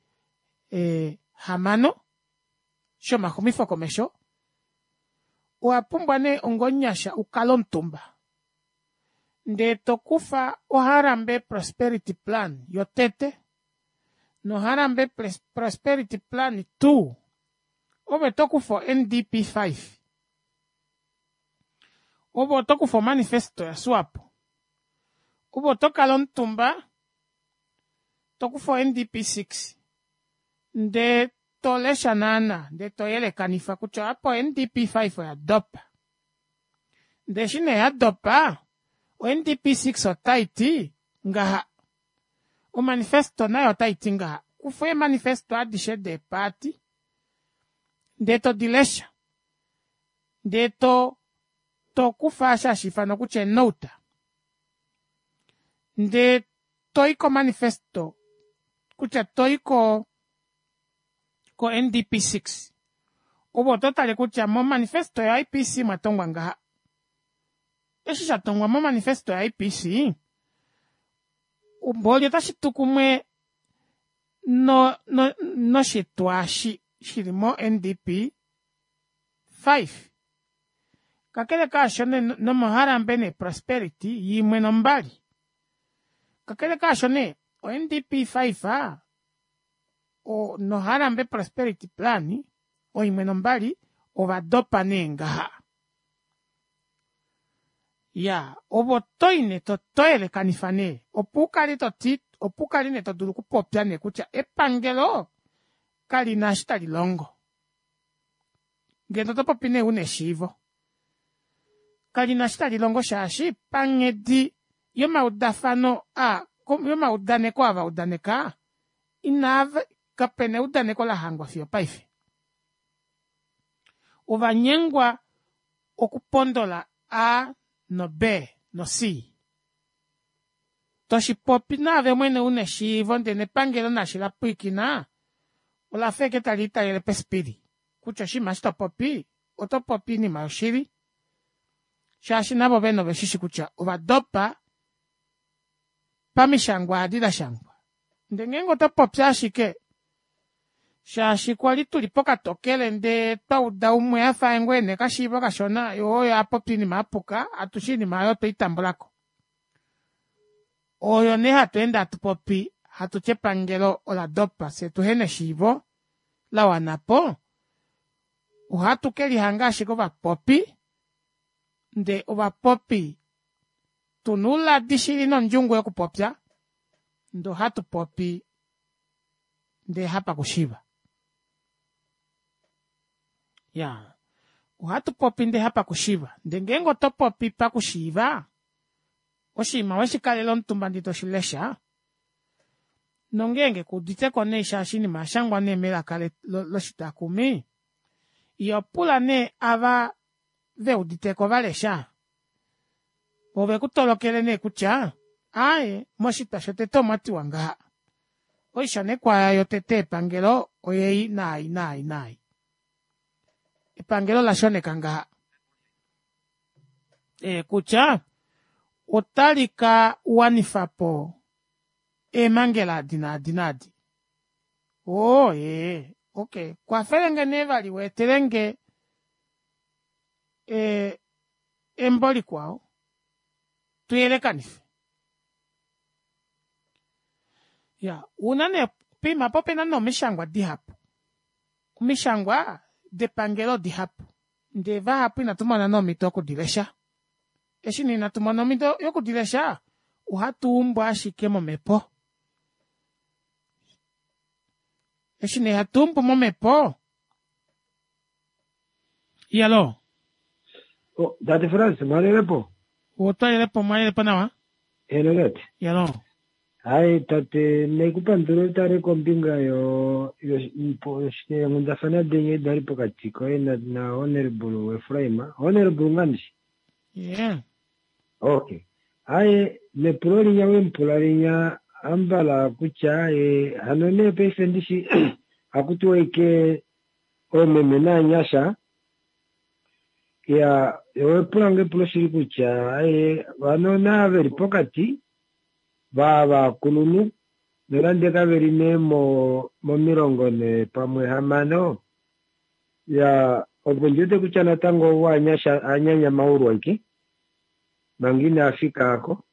S1: hamano shomaxumifo komesho owapumbwa nee onga omunyasha ukale omutumba ndee tokufa o harambe prosperity plan yotete noHarambe Prosperity Plan two, ove tokufa o N D P five, ove otokufa omanifesto yaSwapo, ove otokala omutumba tokufa o N D P six ndee tolesha naana ndee toyelekanifa kutya apa o N D P five oyadopa ndee eshi nee yadopa o N D P six otaiti ngaha omanifesto nayo otaiti ngaha kufa eemanifesto adishe deeparty ndee todilesha ndee to tokufa osho hashiifanwa kutya ee note ndee toyi ko manifesto kutya toyi ko N D P six ove ototale kutya mo manifesto yo I P C omwatongwa ngaha eshi shatongwa mo manifesto yo I P C mboli otashitu kumwe no noshitwa eshi shili mo N D P five kakele kaasho nomo Harambe nee prosperity imwe nombali kakele kaasho nee o N D P five no Harambe prosperity plan oimwe nombali ovadopa nee ngaha iyaa ove otoyi nee toyelekanifa nee opo ukale toti opo ukale nee todulu okupopya nee kutya epangelo kalina eshi talilongo ngeno otopopi nee una eshiivo kalina eshi talilongo shaashi panghedi yomaudafano aa yomaudaneko aavaudaneka inava kapena eudaneko lahangwa fiyo opaife ovanyengwa okupondola a no b no c toshipopi naave mwene una eshiivo ndee nepangelo naashi lapwiikina olafa ashike taliitalele pespili kutya oshinima eshi topopi otopopi oinima yoshili shaashi navo vene oveshishi kutya ovadopa pamishangwa edi dashangwa ndee ngeenge otopopi ashike shaashi kwali tuli pokatokele ndee twauda umwe afa oye ngoo ena okashiivo kashona yee oye apopya oinima yapuka atushe oinima aayo otweitambulako oyo nee hatweende hatupopi hatuti epangelo oladopa fyee tuhena eshiivo lawanapo ohatu kelihanga ashike ovapopi ndee ovapopi tuna ouladi shili nondjungu yokupopya ndee ohatupopi ndee hapakushiiva iyaa ohatupopi ndee hapakushiiva ndee ngeenge otopopi pakushiiva oshinima weshikalela omutumba ndee toshilesha nongenge kuuditeko nee shaashi oinima oyashangwa nee melaka loshitakumi iyoo pula nee ava veuditeko valesha voo vekutolokele nee kutya aaye moshitwa shotete omwatiwa ngaha oishanekwa yotete yepangelo oyeyi naayi naayi naayi epangelo olashoneka ngaha ee kutya otalika wanifapo eemangela edi naadi naadi oo ee okey kwafelenge nee vali weetelenge ee embo likwao tuyelekanife iyaa ouna nee poima aapa opena nee omishangwa dihapu omishangwa depangelo odihapu ndee vahapu ina tumona nee omito yokudilesha eshi nee inatumona omito yokudilesha ohatuumbu ashike momepo eshi nee hatuumbu momepo iyaloo
S3: Oh, tate Frans, mwalelepo?
S1: Otwalelepo mwalelepo nawa?
S3: Eno tate.
S1: Iyaloo.
S3: Hai tate, naikupandula utale kombinga yo yeenghundafana denye dali pokati koye na, na Honorable Ephraim. Honorable Ngandishi?
S1: Yeah.
S3: Okay. Haye, nepulo linya wempula linya ambala kutya e, hano nee paife ndishi hakutiwa ike oomeme naanyasha ya owepula nge epulo shili kutya aye vano naa veli pokati va vakulunhu nonande kaveli nee mo momilongo ne pamwe hamano ya opo ndiwete kutya natango ovo anyasha anyanyamaulwa ike manga ina fika ako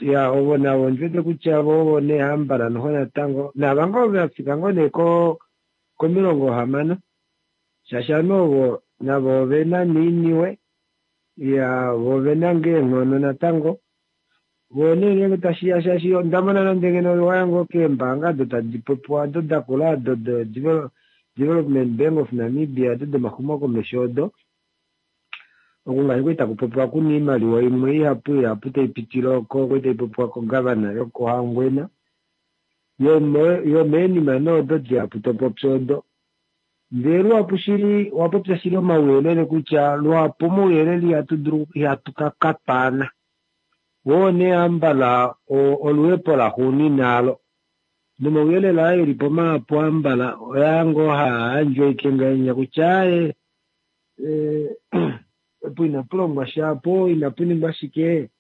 S3: Ya ovo navo ndiwete kutya vo ovo nee hambala noho natango nava ngoo vafika ngoo nee ko komilongo hamano shaashi ovanhu ovo navo ovena neiniwe ya vo ovena ngoo eenghono natango vo nee ngeenge tashiya shaashi onda mona nande ngeno waya ngoo keembaanga odo tadi popiwa odo dakula odo Development Bank of Namibia odo domaxumokomesho odo oku ngaashi kwali taku popiwa kuna oimaliwa imwe ihapu ihapu taipitile oko kwali taipopiwa kogavana yokoHangwena yomeenima nee odo dihapu topopi odo ndee luhapu shili owapopya shili omauyelele kutya luhapu omauyelele ihatu dulu ihatu kakatwaana woo nee hambala oluhepo laxuunina alo nomauyelele aa elipo mahapu hambala oyaa ngoo haayandjwa ashike ngahenya kutya aaye opo inapulongwa sha po inapuningwa shike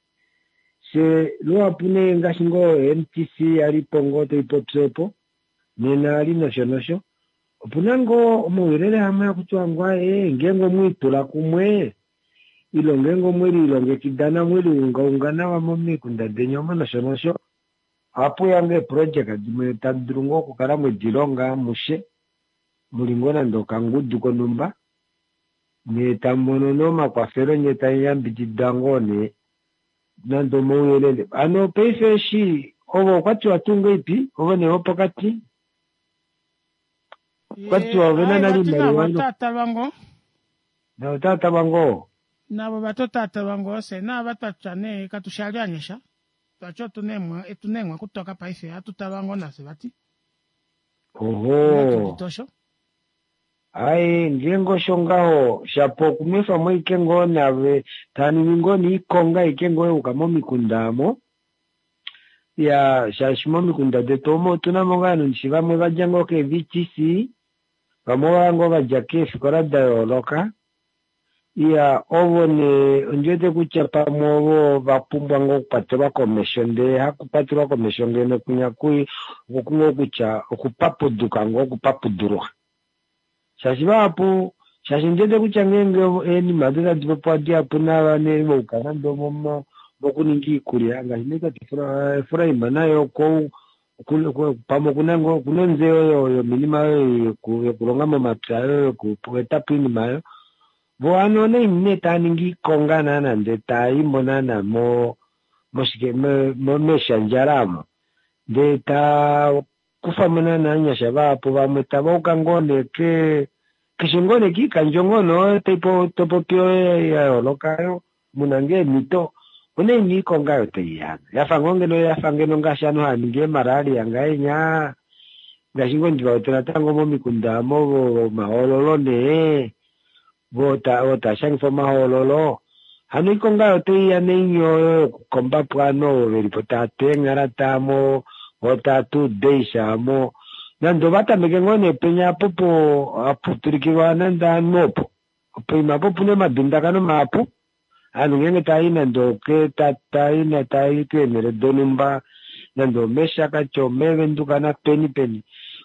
S3: she luhapu nee ngaashi ngoo M T C yalipo ngoo taipopi opo nena ali nosho nosho opuna ngoo omauyelele amwe akutiwa ngoo aaye ngeenge omwiitula kumwe ilo ngeenge omwelilongekida namweliungaunga nawa momikunda deni omo nosho nosho ohapuya ngoo eeprojeka dimwe tadi dulu ngoo okukala mwedilonga amushe muli ngoo nande okangudu konhumba nyee tamumono nee omakwafelo nyee tamuyambidida ngoo nee nande omauyelele hano paife eshi ovo okwatiwa tuu ngahelipi ovo nee vopokati okwatiwa ovena nale oimaliwa
S1: otatalwa ngoo
S3: navo otatalwa ngoo
S1: navo vatotatalwa ngoo fye naava twatya nee katushali anyasha twatya otuna eemwa kutoka paife hatutalwa ngoo nafye vati
S3: oho
S1: tosho
S3: Ai ngeenge osho ngaho shapo okunwefamo ashike ngoo nave taningi ngoo niikonga ashike ngoo yuuka momikunda amo ya shaashi momikunda detu omo otuna mo ngoo ovanhu vamwe vadja ngoo kee V T C vamwe ovaya ngoo vadja keefikola da yooloka iya ovo nee ondiwete kutya pamwe ovo vapumbwa ngoo okukwatelwa komesho ndee hakukwatelwa komesho ngeno kunya kui okungoo kutya okupapuduka ngoo okupapudulwa shaashi vahapu shaashi ndiwete kutya ngeenge eenima odo tadi popiwa dihapu nava nee vouka nande mokuninga iikulya ngaashi nee tate Efraim naye oko pamwe okuna ngoo okuna ontseyo yominima oyo yokulonga momapya oyo yokuetapo iinima oyo vo hano naini nee taaningi iikonga naana ndee taayimo naana mo moshike meshandjala amo ndee taa kufamo naana ovanyasha vahapu vamwe tavauka ngoo nee ke keshe ngoo nee kiikandjo ngoo nee topopi oyo ya yooloka yo muna ngoo eemhito onaini iikonga oyo taiya yafa ngoo ngeno yafa ngeno ngaashi ovanhu hava ningi eemalaria ngahenya ngaashi ngoo ndivawete natango momikunda amo vomahoololo nee vo taashangifa omahoololo hano iikonga oyo taiya naini oyo yokukombapo ovanhu ovo velipo taatu eenghala taamo vo taatu udeisha amo nande ovatameke ngoo nee penya apo po hapu tulikilwa nande ovanhu opo poima apo opuna omadundakano mahapu ovanhu ngeenge taayi nande oke taayi taayi keenhele donhumba nande omeshakati omeevenduka napeni peni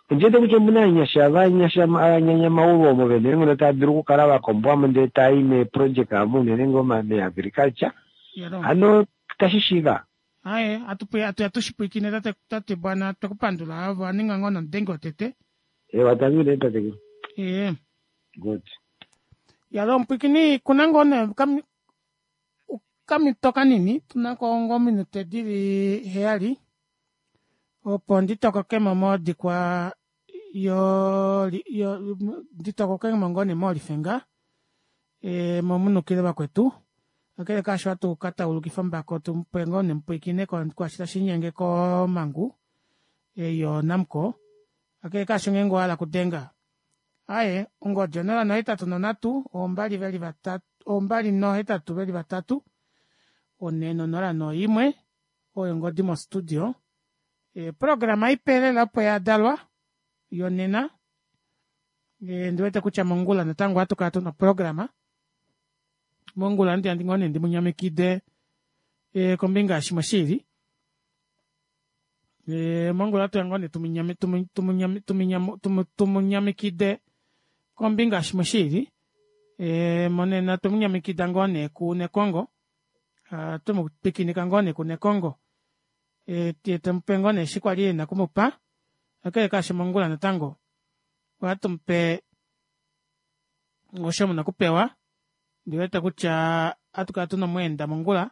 S3: ondiwete kutya omuna ovanyasha vanyasha avanyanyamaulu omo vena eenghono tava dulu okukala vakombwamo ndee taayi meeprojeka amo unene ngoo meagriculture hano tashi shiiva
S1: aye atushipwiikine tate tate bwana twekupandula ovo aninga ngoo nomudenge wotete
S3: ewa tangi tate
S1: ee
S3: good
S1: yalo omupwiikini kuna ngoo nee kamito kanini tunako ngoo minute dili heyali opo nditokokemo modikwa yo yo nditokokemo ngoo nee molifenga e momunukile vakwetu akele kaasho hatu kataulukifa ombako tumupe ngoo nee mupwiikine kwaashi tashinyenge komangu eyo Namcor akele kaasho ngeenge owahala kudenga aye ongodi onola nohetatu nonhatu ombali veli vatatu ombali nohetatu veli vatatu one nonola noimwe oyo ongodi mo studio e programa ipe lela opo yadalwa yonena e ndiwete kutya mongula natango ohatu kala tuna programa mongula ndi andi ngoo nee ndimunyamikide e kombinga yashimwe shili e mongula atuya ngoo nee tumunyami tumunyami tumunyami tumunyamikide kombinga yashimwe shili e monena tumunyamikida ngoo nee ku Nekongo Hatumupwikinika ngoo nee kuNekongo temupe ngoo nee eshi kwali ena okumupa kakele kaasho mongula natango ohatumupe osho muna okupewa ondiwete kutya ohatukala tuna omweenda mongula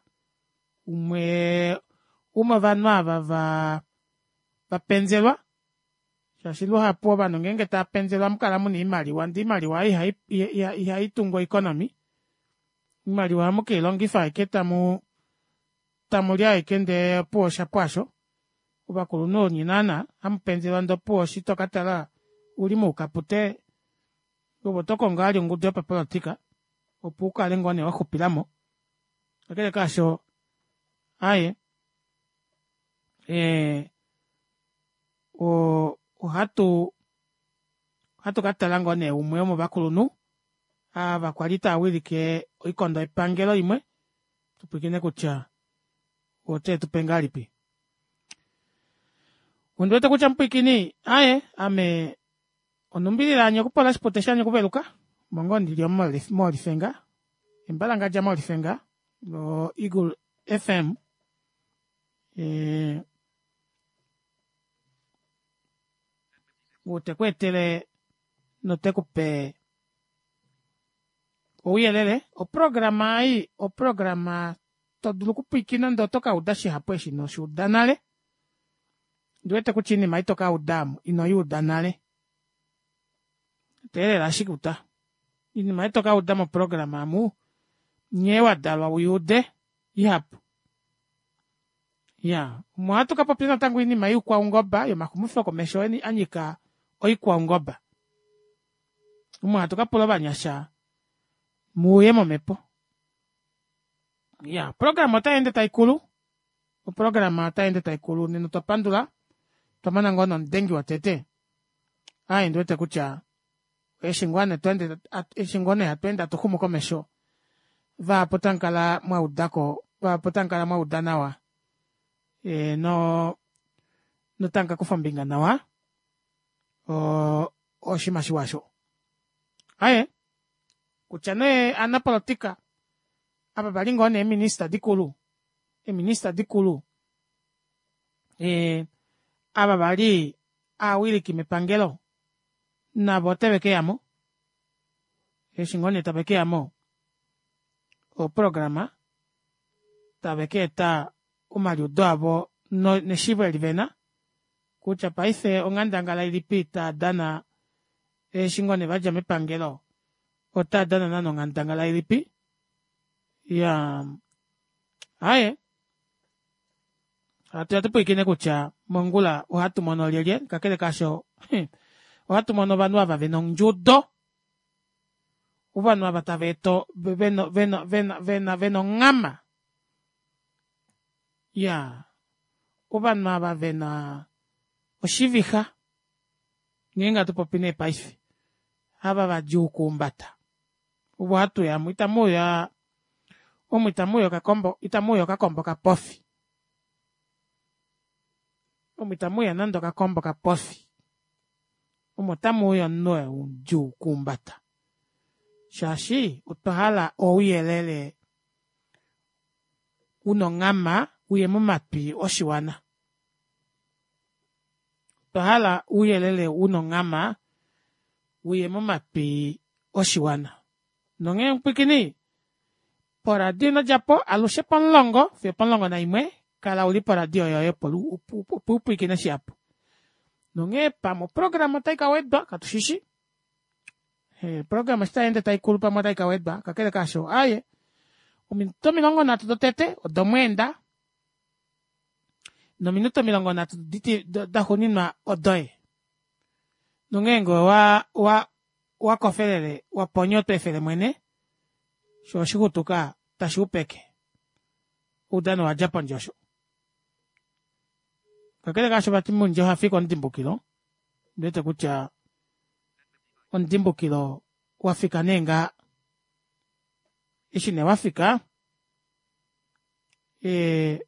S1: umwe womovanhu ava vaa vapenzelwa shaashi luhapu ovanhu ngenge taapenzelwa ohamukala muna oimaliwa ndee oimaliwa ei ihaitungu o economy oimaliwa ohamukeilongifa ashike tamu tamuli ashike ndee opuwo oshapu aasho ovakulunhu onye naana hamupenzelwa ndee opuwo eshi tokatala ouli moukapute ove otokongo vali ongudu yopapolitika opo ukale ngoo nee waxupilamo kakele kaasho aaye ee oo ohatu ohatu katala ngoo nee umwe womovakulunhu ava kwali taawilike oikondo yepangelo imwe tupwiikine kutya otetupe ngahelipi. Ondiwete kutya mupwiikini aaye ame onumbilila yanyakupolo oshipute shanyakuveluka omo ngoo ndili omu molife ngaa embalangadja molife ngaa mo eagle F M ee ou tekweetele notekupe ouyelele oprograma ei oprograma todulu okupwiikina ndee otokauda shihapu eshi inoshuuda nale ondiwete kutya oinima ei tokauda aamu inoyuuda nale teelela ashike uta oinima ei tokauda moprograma aamu nghee wadalwa uyuude ihapu. Iyaa omu ohatu kapopya natango oinima youkwaungoba yomaxumifo komesho anyika oikwaungoba omo hatu kapula ovanyasha muuye momepo. Iyaa oprograma otayeende taikulu oprograma otayeende taikulu nena otwa pandula otwamona ngoo nee omudengi wotete aaye ondiwete kutya eshi ngoo nee eshi ngoo nee hatweende hatuxumu komesho vahapu otamukala mwaudako vahapu otamukala mwauda nawa noo notamukakufa ombinga nawa oo oshiima shiwa aasho. Aaye kutya nee ovanapolitika ava vali ngoo nee eeminister dikulu eeminister dikulu ee ava vali aawiliki mepangelo navo otevekeyamo eshi ngoo nee tavekeyamo oprograma tave kaeta omaliudo avo neshiivo eli vena kutya paife onghandangala ilipi taadana eshi ngoo nee vadja mepangelo otaadana naana onghandangala ilipi iyaa aaye hatuya tupwiikine kutya mongula ohatumono lyelye kakele kaasho ohatumono ovanhu ava vena ondjudo ovanhu ava taveeta vena vena vena vena onghama iyaa ovanhu ava vena oshivixa ngeenge hatupopi nee paife ava vadjuu okuhumbata ovo hatuya omu itamuuya omu itamuuya okakombo kapofi omu itamuuya nande okakombo kapofi omu otamuuya omunhu ou mudjuu okuhumbata shaashi otwahala ouyelele una onghama uye momatwi oshiwana otwahala ouyelele una onghama uye momatwi oshiwana nonghee mupwiikini poradio inodjapo alushe pomulongo fiyo opomulongo naimwe kala uli po radio yoye opo upwiikine shihapu nonghee pamwe oprograma otaikawedwa katushishi oprograma eshi tayeende taikulu pamwe otaikawedwa kakele kaasho aaye ominute omilongo nhatu dotete odomweenda nominute omilongo nhatu daxuuninwa odoye nongeenge owa owa owakofelele waponya otweefele mwene shoo oshixutuka tashuupeke oudano owadja pondje osho kakele kaasho vati mundja ohafike omudimbukilo ondiwete kutya omudimbukilo wafika nee ngaha eshi nee wafika ee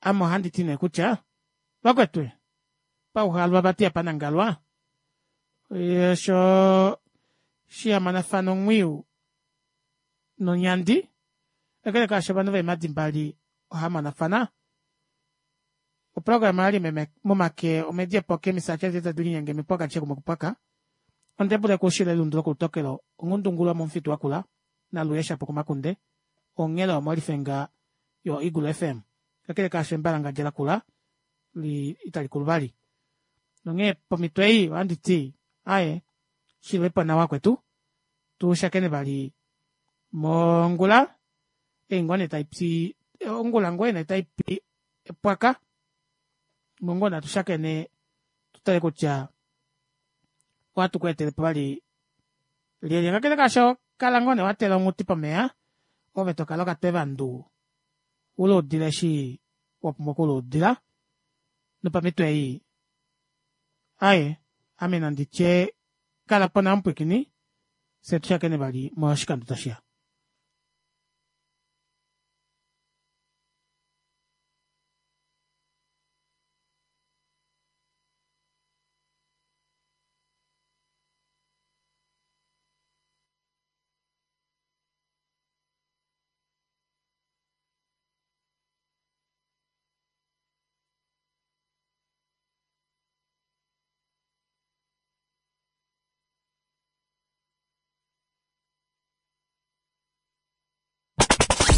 S1: ame ohanditi nee kutya vakwetu pauhalwa vati ihapanangalwa shoo shihamanafana omwiyu nonyandi kakele kaasho ovanhu veemadi mbali ohamonafana. Oprograma yali momake omedi epoke misache zeta dilinyenge mipwaka cheku mokupwaka. Ondebule kushile lundu lokulutokelo ongundungulwa momufitu wakula naluyesha pokumakunde onghela omolifenga yo Eagle F M. Kakele kaasho embalanga djela kula li itali kuluvali. Nonghee pomitwe ei ohandi ti aye shilwepo nawa kwetu tushakene vali mongula eingone taipi ongula ngwene taipi epwaka mongona tushakene tutale kutya ohatu ku etele po vali lyelye. Kakele kaasho kala ngoo nee watela onghuti pomeya ove tokala okatwevandu uluudile eshi wapumbwa okuluudila nopamitwe ei aye ame nanditye kala po nawa mupwikini fye tushakene vali moshikando tashiya.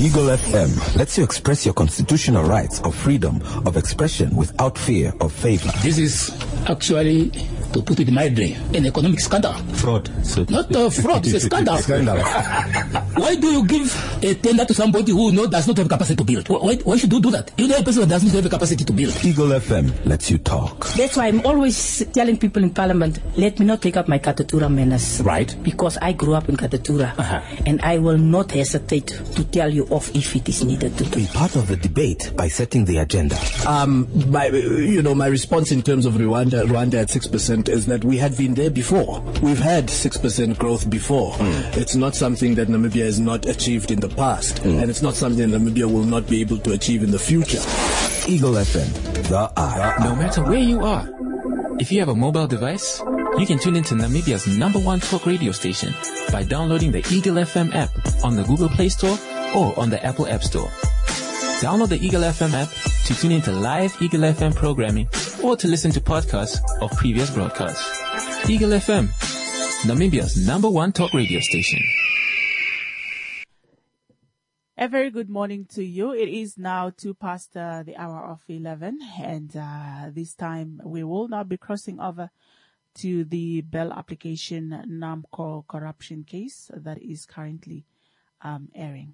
S4: Eagle F M lets you express your constitutional rights of freedom of expression without fear of favor.
S5: This is actually, to put it mildly, an economic scandal.
S4: Fraud. So
S5: Not a fraud, it's a scandal.
S4: Scandal.
S5: Why do you give a tender to somebody who no, does not have capacity to build? Why, why should you do that? You know a person who does not have a capacity to build.
S4: Eagle F M lets you talk.
S6: That's why I'm always telling people in Parliament, let me not take up my Katutura manners.
S5: Right.
S6: Because I grew up in Katutura.
S5: Uh-huh.
S6: And I will not hesitate to tell you off if it is needed to do.
S4: Be part of the debate by setting the agenda.
S7: Um, my, you know, my response in terms of Rwanda, Rwanda at six percent is that we had been there before. We've had six percent growth before.
S4: Mm.
S7: It's not something that Namibia has not achieved in the past,
S4: mm.
S7: and it's not something that Namibia will not be able to achieve in the future.
S4: Eagle F M, the eye.
S8: No matter where you are, if you have a mobile device, you can tune into Namibia's number one talk radio station by downloading the Eagle F M app on the Google Play Store or on the Apple App Store. Download the Eagle F M app to tune into live Eagle F M programming or to listen to podcasts of previous broadcasts. Eagle F M, Namibia's number one talk radio station.
S9: A very good morning to you. It is now two past, uh, the hour of eleven, and, uh, this time we will now be crossing over to the bail application NAMCOR corruption case that is currently, um, airing.